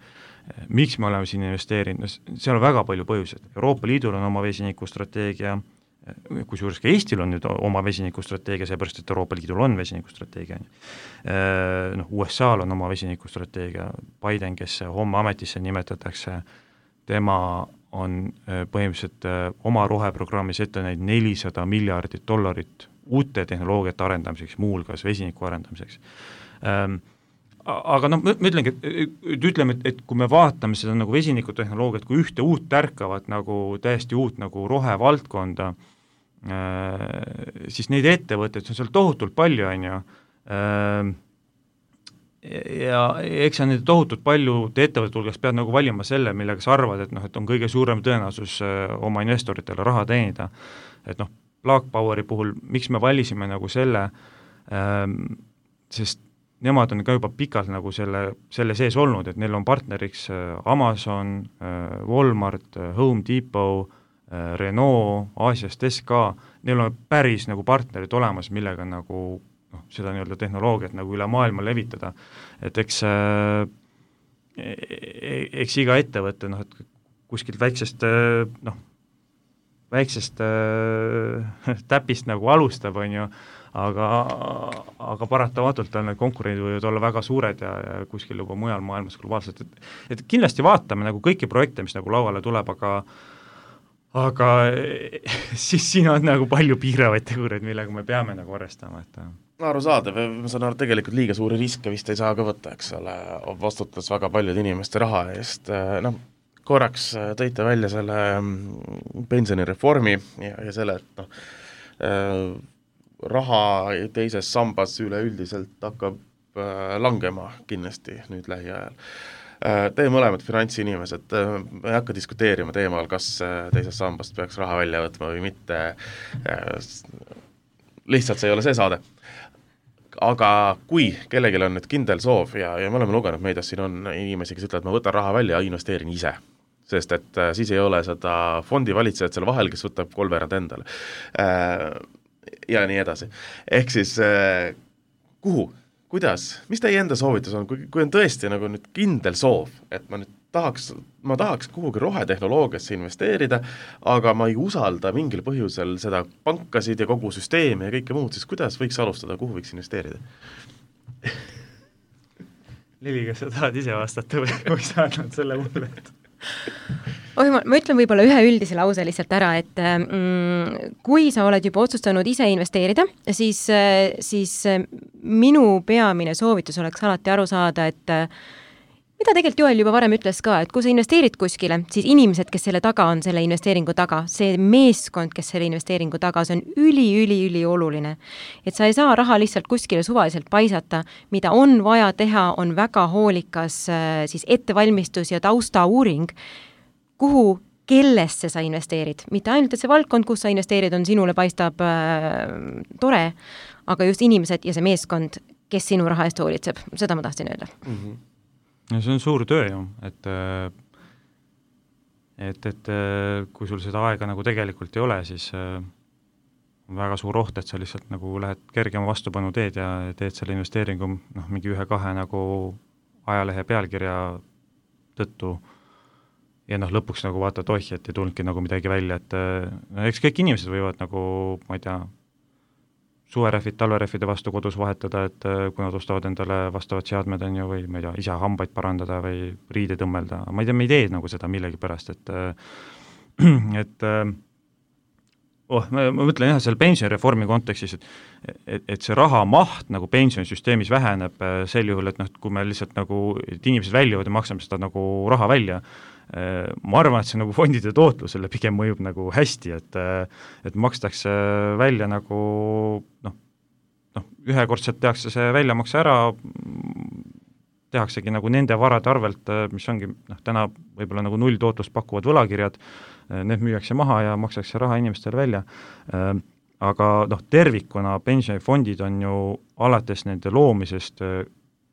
miks me oleme siin investeerinud, no seal on väga palju põhjused. Euroopa Liidul on oma vesinikustrateegia, kusjuures ka Eestil on nüüd oma vesinikustrateegia, seepärast, et Euroopa Liidul on vesinikustrateegia. No, U S A-l on oma vesinikustrateegia, Biden, kes homme ametisse nimetatakse, tema on põhimõtteliselt oma roheprogrammis ette näinud nelisada miljardit dollarit uute tehnoloogiate arendamiseks, muulgas vesiniku arendamiseks. Aga noh, ma ütlengi, et ütleme, et, et kui me vaatame seda nagu vesinikutehnoloogiat kui ühte uut tärkavat nagu täiesti uut nagu rohevaldkonda, siis neid ettevõtteid on seal tohutult palju, on ju, ja eks sa neid tohutult palju ettevõtete hulgas pead nagu valima selle, millega sa arvad, et noh, et on kõige suurem tõenäosus oma investoritele raha teenida. Et noh, Plug Poweri puhul, miks me valisime nagu selle, sest nemad on ka juba pikalt nagu selle, selle sees olnud, et neil on partneriks Amazon, Walmart, Home Depot, Renault, Aasiast S K, neil on päris nagu partnerid olemas, millega nagu noh, seda nii-öelda tehnoloogiat nagu üle maailma levitada. Et eks, eks iga ettevõte, noh, et kuskilt väiksest, noh, väiksest täpist nagu alustab, on ju, aga, aga paratamatult on need konkurendid võivad olla väga suured ja, ja kuskil juba mujal maailmas globaalselt, et, et kindlasti vaatame nagu kõiki projekte, mis nagu lauale tuleb, aga aga siis siin on nagu palju piiravaid tegureid, millega me peame nagu arvestama, et
arusaadav, ma saan aru, tegelikult liiga suuri riske vist ei saa ka võtta, eks ole, vastutas väga paljude inimeste raha eest, noh, korraks tõite välja selle pensionireformi ja, ja selle, et noh, raha teises sambas üleüldiselt hakkab langema kindlasti nüüd lähiajal. Teie mõlemad finantsinimesed, me ei hakka diskuteerima teemal, kas teisest sambast peaks raha välja võtma või mitte, lihtsalt see ei ole see saade. Aga kui kellegil on nüüd kindel soov ja, ja me oleme lugenud meedias, siin on inimesi, kes ütlevad, ma võtan raha välja ja investeerin ise, sest et siis ei ole seda fondi valitsejat selle vahel, kes võtab kolmveerand endale ja nii edasi. Ehk siis kuhu? Kuidas? Mis teie enda soovitus on, kui, kui on tõesti nagu nüüd kindel soov, et ma nüüd tahaks, ma tahaks kuhugi rohetehnoloogiasse investeerida, aga ma ei usalda mingil põhjusel seda pankasid ja kogu süsteemi ja kõike muud, siis kuidas võiks alustada, kuhu võiks investeerida?
Lili, kas sa tahad ise vastata või kui sa annad selle mulle?
Oh, ma, ma ütlen võib-olla ühe üldise lause lihtsalt ära, et mm, kui sa oled juba otsustanud ise investeerida, siis, siis minu peamine soovitus oleks alati aru saada, et mida tegelikult Joel juba varem ütles ka, et kui sa investeerid kuskile, siis inimesed, kes selle taga on, selle investeeringu taga, see meeskond, kes selle investeeringu taga, see on üli, üli, üli oluline. Et sa ei saa raha lihtsalt kuskile suvaliselt paisata, mida on vaja teha, on väga hoolikas siis ettevalmistus ja tausta uuring, kuhu, kellesse sa investeerid. Mitte ainult, et see valdkond, kus sa investeerid, on sinule paistab äh, tore, aga just inimesed ja see meeskond, kes sinu raha eest hoolitseb, seda ma tahtsin öelda.
Mm-hmm.
Ja see on suur töö ju, et, et, et kui sul seda aega nagu tegelikult ei ole, siis on väga suur oht, et sa lihtsalt nagu lähed kergema vastupanu teed ja teed selle investeeringu noh, mingi ühe-kahe nagu ajalehe pealkirja tõttu ja noh, lõpuks nagu vaatad oih, et ei tulnudki nagu midagi välja, et no, eks kõik inimesed võivad nagu, ma ei tea, suverehvid, talverehvide vastu kodus vahetada, et kui nad ostavad endale vastavad seadmed, on ju, või ma ei tea, ise hambaid parandada või riide tõmmelda, ma ei tea, me ei tee nagu seda millegi pärast, et et oh, ma, ma mõtlen jah, seal pensionireformi kontekstis, et, et, et see raha maht nagu pensionisüsteemis väheneb sel juhul, et noh, kui me lihtsalt nagu, et inimesed väljuvad ja maksame seda nagu raha välja, ma arvan, et see nagu fondide tootlusele pigem mõjub nagu hästi, et et makstakse välja nagu noh, noh, ühekordselt tehakse see väljamakse ära, tehaksegi nagu nende varade arvelt, mis ongi noh, täna võib-olla nagu null tootlust pakuvad võlakirjad, need müüakse maha ja makstakse raha inimestele välja. Aga noh, tervikuna pensionifondid on ju alates nende loomisest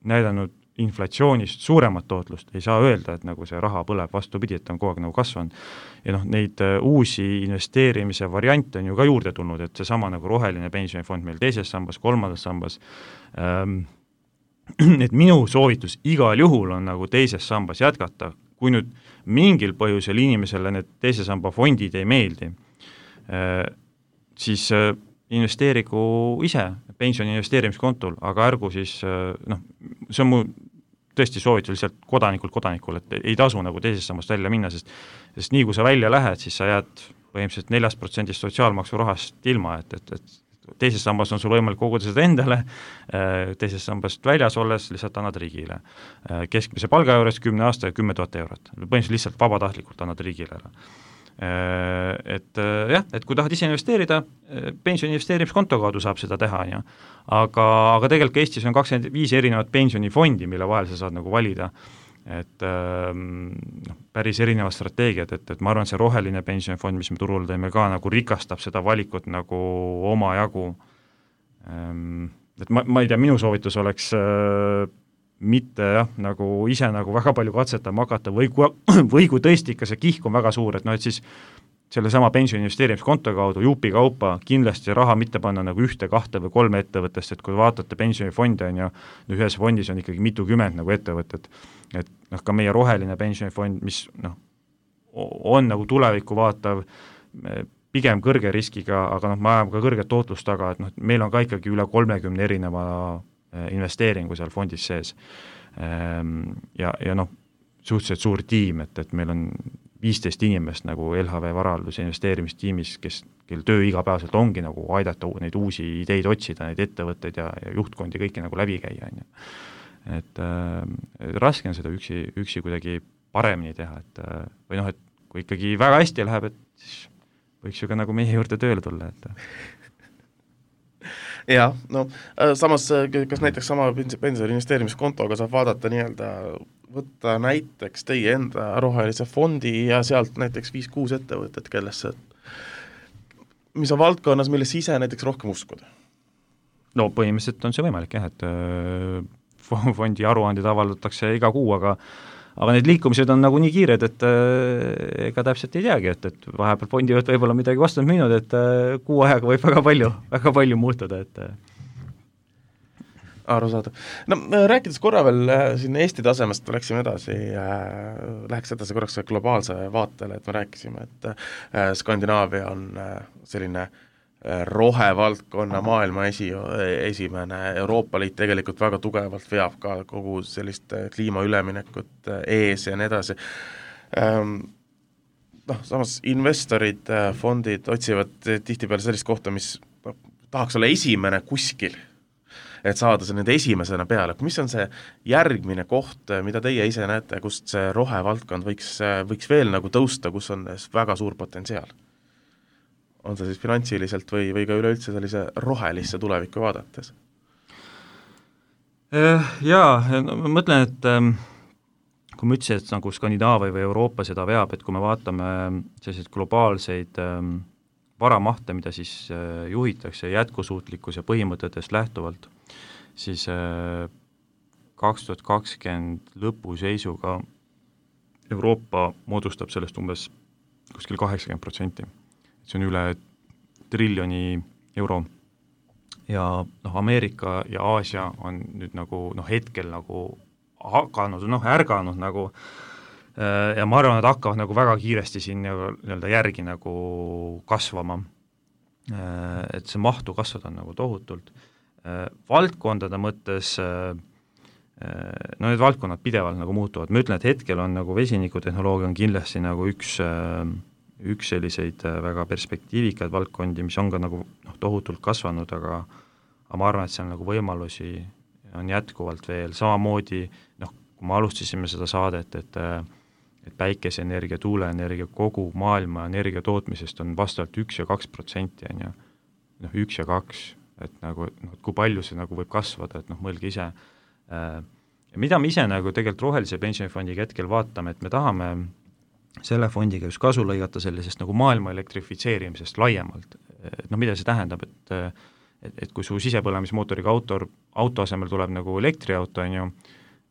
näidanud inflatsioonist suuremat tootlust, ei saa öelda, et nagu see raha põleb, vastupidi, et on kogu aeg nagu kasvanud. Ja noh, neid uusi investeerimise variante on ju ka juurde tulnud, et see sama nagu roheline pensionifond meil teises sambas, kolmandas sambas, ähm, et minu soovitus igal juhul on nagu teises sambas jätkata, kui nüüd mingil põhjusel inimesele need teise samba fondid ei meeldi, siis investeerigu ise pensioni investeerimiskontol, aga ärgu siis, noh, see on mu tõesti soovitus lihtsalt kodanikult kodanikul, et ei tasu nagu teisest sammast välja minna, sest, sest nii kui sa välja lähed, siis sa jääd põhimõtteliselt neljast protsendist sotsiaalmaksu rahast ilma, et, et, et teises sambas on sul võimalik koguda seda endale, teisest sambast väljas olles lihtsalt annad riigile. Keskmise palga juures kümne aasta ja kümme tuhat eurot. Põhimõtteliselt lihtsalt vabatahtlikult annad riigile ära. Et jah, et kui tahad ise investeerida, pensioni investeerimiskonto kaudu saab seda teha, ja. Aga, aga tegelikult Eestis on kakskümmend viis erinevat pensionifondi, mille vahel sa saad nagu valida, et noh, päris erinevad strateegiad, et, et ma arvan, see roheline pensionifond, mis me turul teeme ka, nagu rikastab seda valikut nagu oma jagu. Et ma, ma ei tea, minu soovitus oleks mitte jah, nagu ise nagu väga palju katsetama hakata või kui, või kui tõesti ikka see kihk on väga suur, et noh, et siis selle sama pensioni investeerimiskonto kaudu jupi kaupa kindlasti raha mitte panna nagu ühte, kahte või kolme ettevõttest, et kui vaatate pensionifondi on ja ühes fondis on ikkagi mitukümmend nagu ettevõtted, et noh, ka meie roheline pensionifond, mis noh, on nagu tulevikku vaatav, pigem kõrge riskiga, aga noh, me ajame ka kõrget tootlust taga, et noh, meil on ka ikkagi üle kolmekümne erineva investeeringu seal fondis sees. Ja, ja noh, suhteliselt suur tiim, et, et meil on viisteist inimest nagu L H V varalduse investeerimistiimis, kes, kel töö igapäevaselt ongi nagu aidata neid uusi ideid otsida, neid ettevõtteid ja, ja juhtkondi kõiki nagu läbi käia. Et äh, raske on seda üksi, üksi kuidagi paremini teha, et või noh, et kui ikkagi väga hästi läheb, et siis võiks ju ka nagu meie juurde tööle tulla, et
jah, no samas, kas näiteks sama pensioni investeerimiskontoga saab vaadata nii-öelda, võtta näiteks teie enda rohelise fondi ja sealt näiteks viis-kuus ettevõtet, kellesse, mis on valdkonnas, millesse ise näiteks rohkem uskuda?
No põhimõtteliselt on see võimalik jah, et fondi aruandid avaldatakse iga kuu, aga aga need liikumised on nagu nii kiired, et ega täpselt ei teagi, et, et vahepeal fondi võt võib-olla midagi vastanud müünud, et kuu ajaga võib väga palju, väga palju muutuda, et
aru saada. No rääkides korra veel siin Eesti tasemest, läksime edasi, äh, läheks edasi korraks globaalse vaatele, et me rääkisime, et äh, Skandinaavia on äh, selline äh, rohevaldkonna maailma esi, esimene, Euroopa Liit tegelikult väga tugevalt veab ka kogu sellist kliimaüleminekut äh, ees ja nii edasi. Ähm, noh, samas investorid, äh, fondid otsivad tihtipeale sellist kohta, mis noh, tahaks olla esimene kuskil, et saada see nende esimesena peale. Mis on see järgmine koht, mida teie ise näete, kust see rohevaldkond võiks, võiks veel nagu tõusta, kus on väga suur potentsiaal? On see siis finantsiliselt või, või ka üleüldse sellise rohelisse tulevikku vaadates?
Jaa, no, ma mõtlen, et kui ma ütlesin, et nagu Skandinaavia või Euroopa seda veab, et kui me vaatame selliseid globaalseid varamahte, mida siis juhitakse jätkusuutlikkus ja põhimõtetest lähtuvalt, siis kaks tuhat kakskümmend lõpuseisuga Euroopa moodustab sellest umbes kuskil kaheksakümmend protsenti. See on üle triljoni euro. Ja noh, Ameerika ja Aasia on nüüd nagu noh, hetkel nagu hakanud, noh, ärganud nagu ja ma arvan, et hakkavad nagu väga kiiresti siin nii-öelda järgi nagu kasvama. et see mahtu kasvada on nagu tohutult. Valdkondade mõttes, no need valdkonnad pidevalt nagu muutuvad, ma ütlen, et hetkel on nagu vesinikutehnoloogia on kindlasti nagu üks üks selliseid väga perspektiivikaid valdkondi, mis on ka nagu noh, tohutult kasvanud, aga, aga ma arvan, et see on nagu võimalusi on jätkuvalt veel, samamoodi noh, kui me alustasime seda saadet, et et päikeseenergia, tuuleenergia, kogu maailma energia tootmisest on vastavalt üks ja kaks protsenti, on ju, noh üks ja kaks, et nagu, noh, kui palju see nagu võib kasvada, et noh, mõelge ise. Ja mida me ise nagu tegelikult rohelise pensionifondiga hetkel vaatame, et me tahame selle fondiga just kasu lõigata sellisest nagu maailma elektrifitseerimisest laiemalt. No mida see tähendab, et, et, et kui su sisepõlemismootoriga auto, auto asemel tuleb nagu elektriauto, on ju,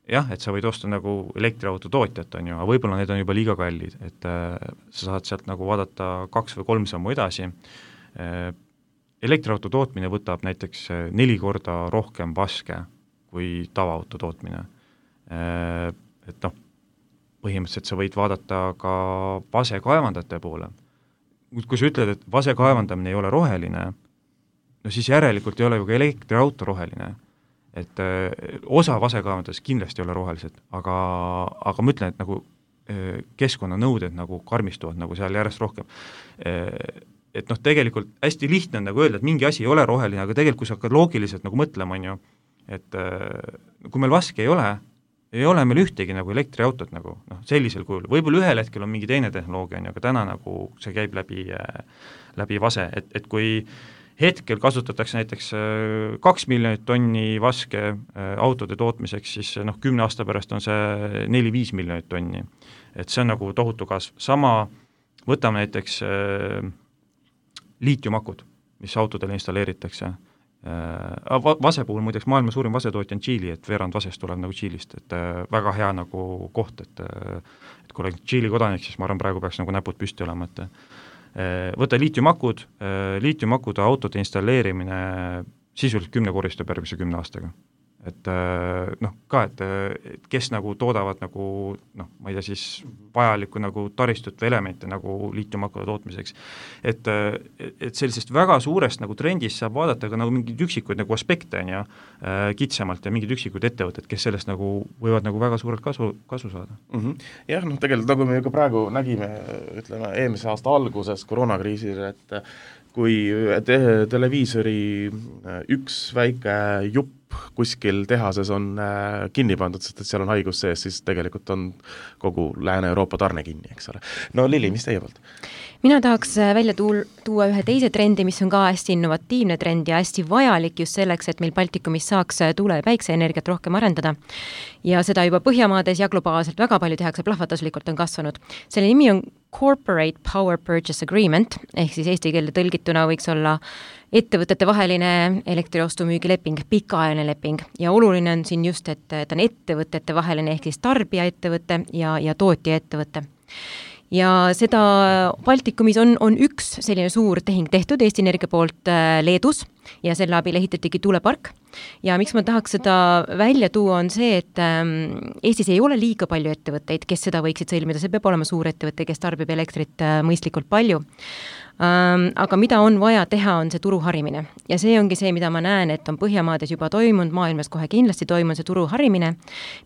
jah, et sa võid osta nagu elektriauto tootjat, on ju, aga võib-olla need on juba liiga kallid, et äh, sa saad sealt nagu vaadata kaks või kolm sammu edasi. Äh, elektriauto tootmine võtab näiteks neli korda rohkem vaske kui tavaauto tootmine. Äh, et noh, põhimõtteliselt sa võid vaadata ka vasekaevandajate poole. Kui sa ütled, et vasekaevandamine ei ole roheline, no siis järelikult ei ole ju ka elektriauto roheline. Et äh, osa vasekaevandajast kindlasti ei ole rohelised, aga, aga ma ütlen, et nagu äh, keskkonnanõuded nagu karmistuvad nagu seal järjest rohkem. Äh, et noh, tegelikult hästi lihtne on nagu öelda, et mingi asi ei ole roheline, aga tegelikult kui sa hakkad loogiliselt nagu mõtlema, on ju, et äh, kui meil vaske ei ole, ei ole meil ühtegi nagu elektriautot nagu, noh, sellisel kujul. Võib-olla ühel hetkel on mingi teine tehnoloogia, aga täna nagu see käib läbi, läbi vase, et, et kui hetkel kasutatakse näiteks kaks miljonit tonni vaske autode tootmiseks, siis noh, kümne aasta pärast on see neli-viis miljonit tonni. Et see on nagu tohutu kasv. Sama võtame näiteks liitiumakud, mis autodele installeeritakse. Vase puhul muideks maailma suurim vasetootja on Tšiili, et veerand vasest tuleb nagu Tšiilist, et väga hea nagu koht, et, et kui olen Tšiili kodanik, siis ma arvan, praegu peaks nagu näpud püsti olema, et võta liitiumakud, liitiumakude autode installeerimine sisuliselt kümne koristub järgmise kümne aastaga. Et noh, ka, et kes nagu toodavad nagu, noh, ma ei tea siis vajalikku nagu taristut või elemente nagu liitiumakude tootmiseks. Et, et sellisest väga suurest nagu trendist saab vaadata ka nagu mingid üksikuid nagu aspekte on ja kitsamalt ja mingid üksikud ettevõtted, kes sellest nagu võivad nagu väga suurelt kasu, kasu saada.
Mm-hmm. Jah, noh, tegelikult nagu me ka praegu nägime, ütleme, eelmise aasta alguses koroonakriisil, et kui te- televiisori üks väike jupp kuskil tehases on kinni pandud, sest et seal on haigus sees, siis tegelikult on kogu Lääne-Euroopa tarne kinni, eks ole. No Lili, mis teie poolt?
Mina tahaks välja tuul, tuua ühe teise trendi, mis on ka hästi innovatiivne trend ja hästi vajalik just selleks, et meil Baltikumis saaks tuule- ja päikseenergiat rohkem arendada. Ja seda juba Põhjamaades ja globaalselt väga palju tehakse, plahvatuslikult on kasvanud. Selle nimi on Corporate Power Purchase Agreement, ehk siis eesti keelde tõlgituna võiks olla ettevõtete vaheline elektriostumüügileping, pikaajaline leping ja oluline on siin just, et ta on ettevõtete vaheline ehk siis tarbijaettevõte ja, ja tootjaettevõte. Ja seda Baltikumis on, on üks selline suur tehing tehtud Eesti Energia poolt Leedus ja selle abil ehitatigi tuulepark. Ja miks ma tahaks seda välja tuua on see, et Eestis ei ole liiga palju ettevõtteid, kes seda võiksid sõlmida, see peab olema suur ettevõte, kes tarbib elektrit mõistlikult palju. Um, aga mida on vaja teha, on see turu harimine. Ja see ongi see, mida ma näen, et on Põhjamaades juba toimunud, maailmas kohe kindlasti toimunud see turu harimine,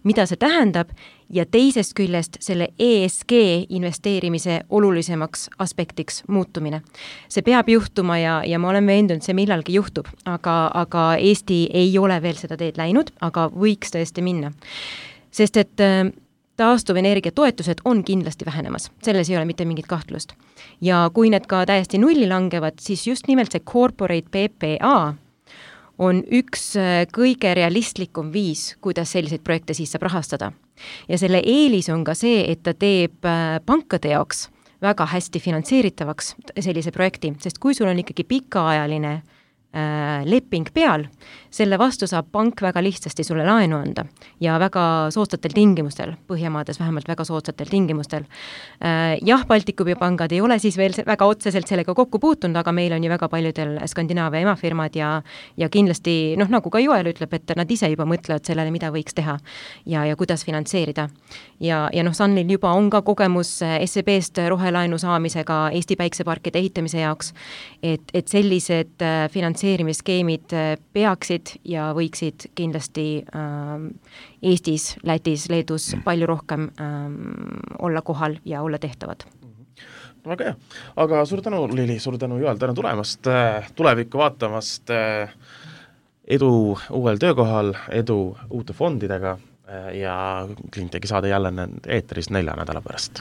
mida see tähendab ja teisest küljest selle E S G investeerimise olulisemaks aspektiks muutumine. See peab juhtuma ja, ja ma olen veendunud, see millalgi juhtub, aga, aga Eesti ei ole veel seda teed läinud, aga võiks tõesti minna. Sest et taastuvenergia toetused on kindlasti vähenemas, selles ei ole mitte mingit kahtlust. Ja kui need ka täiesti nulli langevad, siis just nimelt see corporate P P A on üks kõige realistlikum viis, kuidas selliseid projekte siis saab rahastada. Ja selle eelis on ka see, et ta teeb pankade jaoks väga hästi finantseeritavaks sellise projekti, sest kui sul on ikkagi pikaajaline leping peal, selle vastu saab pank väga lihtsasti sulle laenu anda ja väga soodsatel tingimustel, Põhjamaades vähemalt väga soodsatel tingimustel. Jah, Baltikumi pangad ei ole siis veel väga otseselt sellega kokku puutunud, aga meil on ju väga paljudel Skandinaavia emafirmad ja, ja kindlasti, noh, nagu ka Joel ütleb, et nad ise juba mõtlevad sellele, mida võiks teha ja, ja kuidas finantseerida. Ja, ja noh, Sunil juba on ka kogemus S E B-st rohelaenu saamisega Eesti päikseparkide ehitamise jaoks, et, et sellised finantseerimisskeemid peaksid ja võiksid kindlasti ähm, Eestis, Lätis, Leedus palju rohkem ähm, olla kohal ja olla tehtavad.
Väga hea, aga suur tänu, Lili, suur tänu, Joel, tänu tulemast, tulevikku vaatamast, edu uuel töökohal, edu uute fondidega ja Cleantechi saade jälle eetris nelja nädala pärast.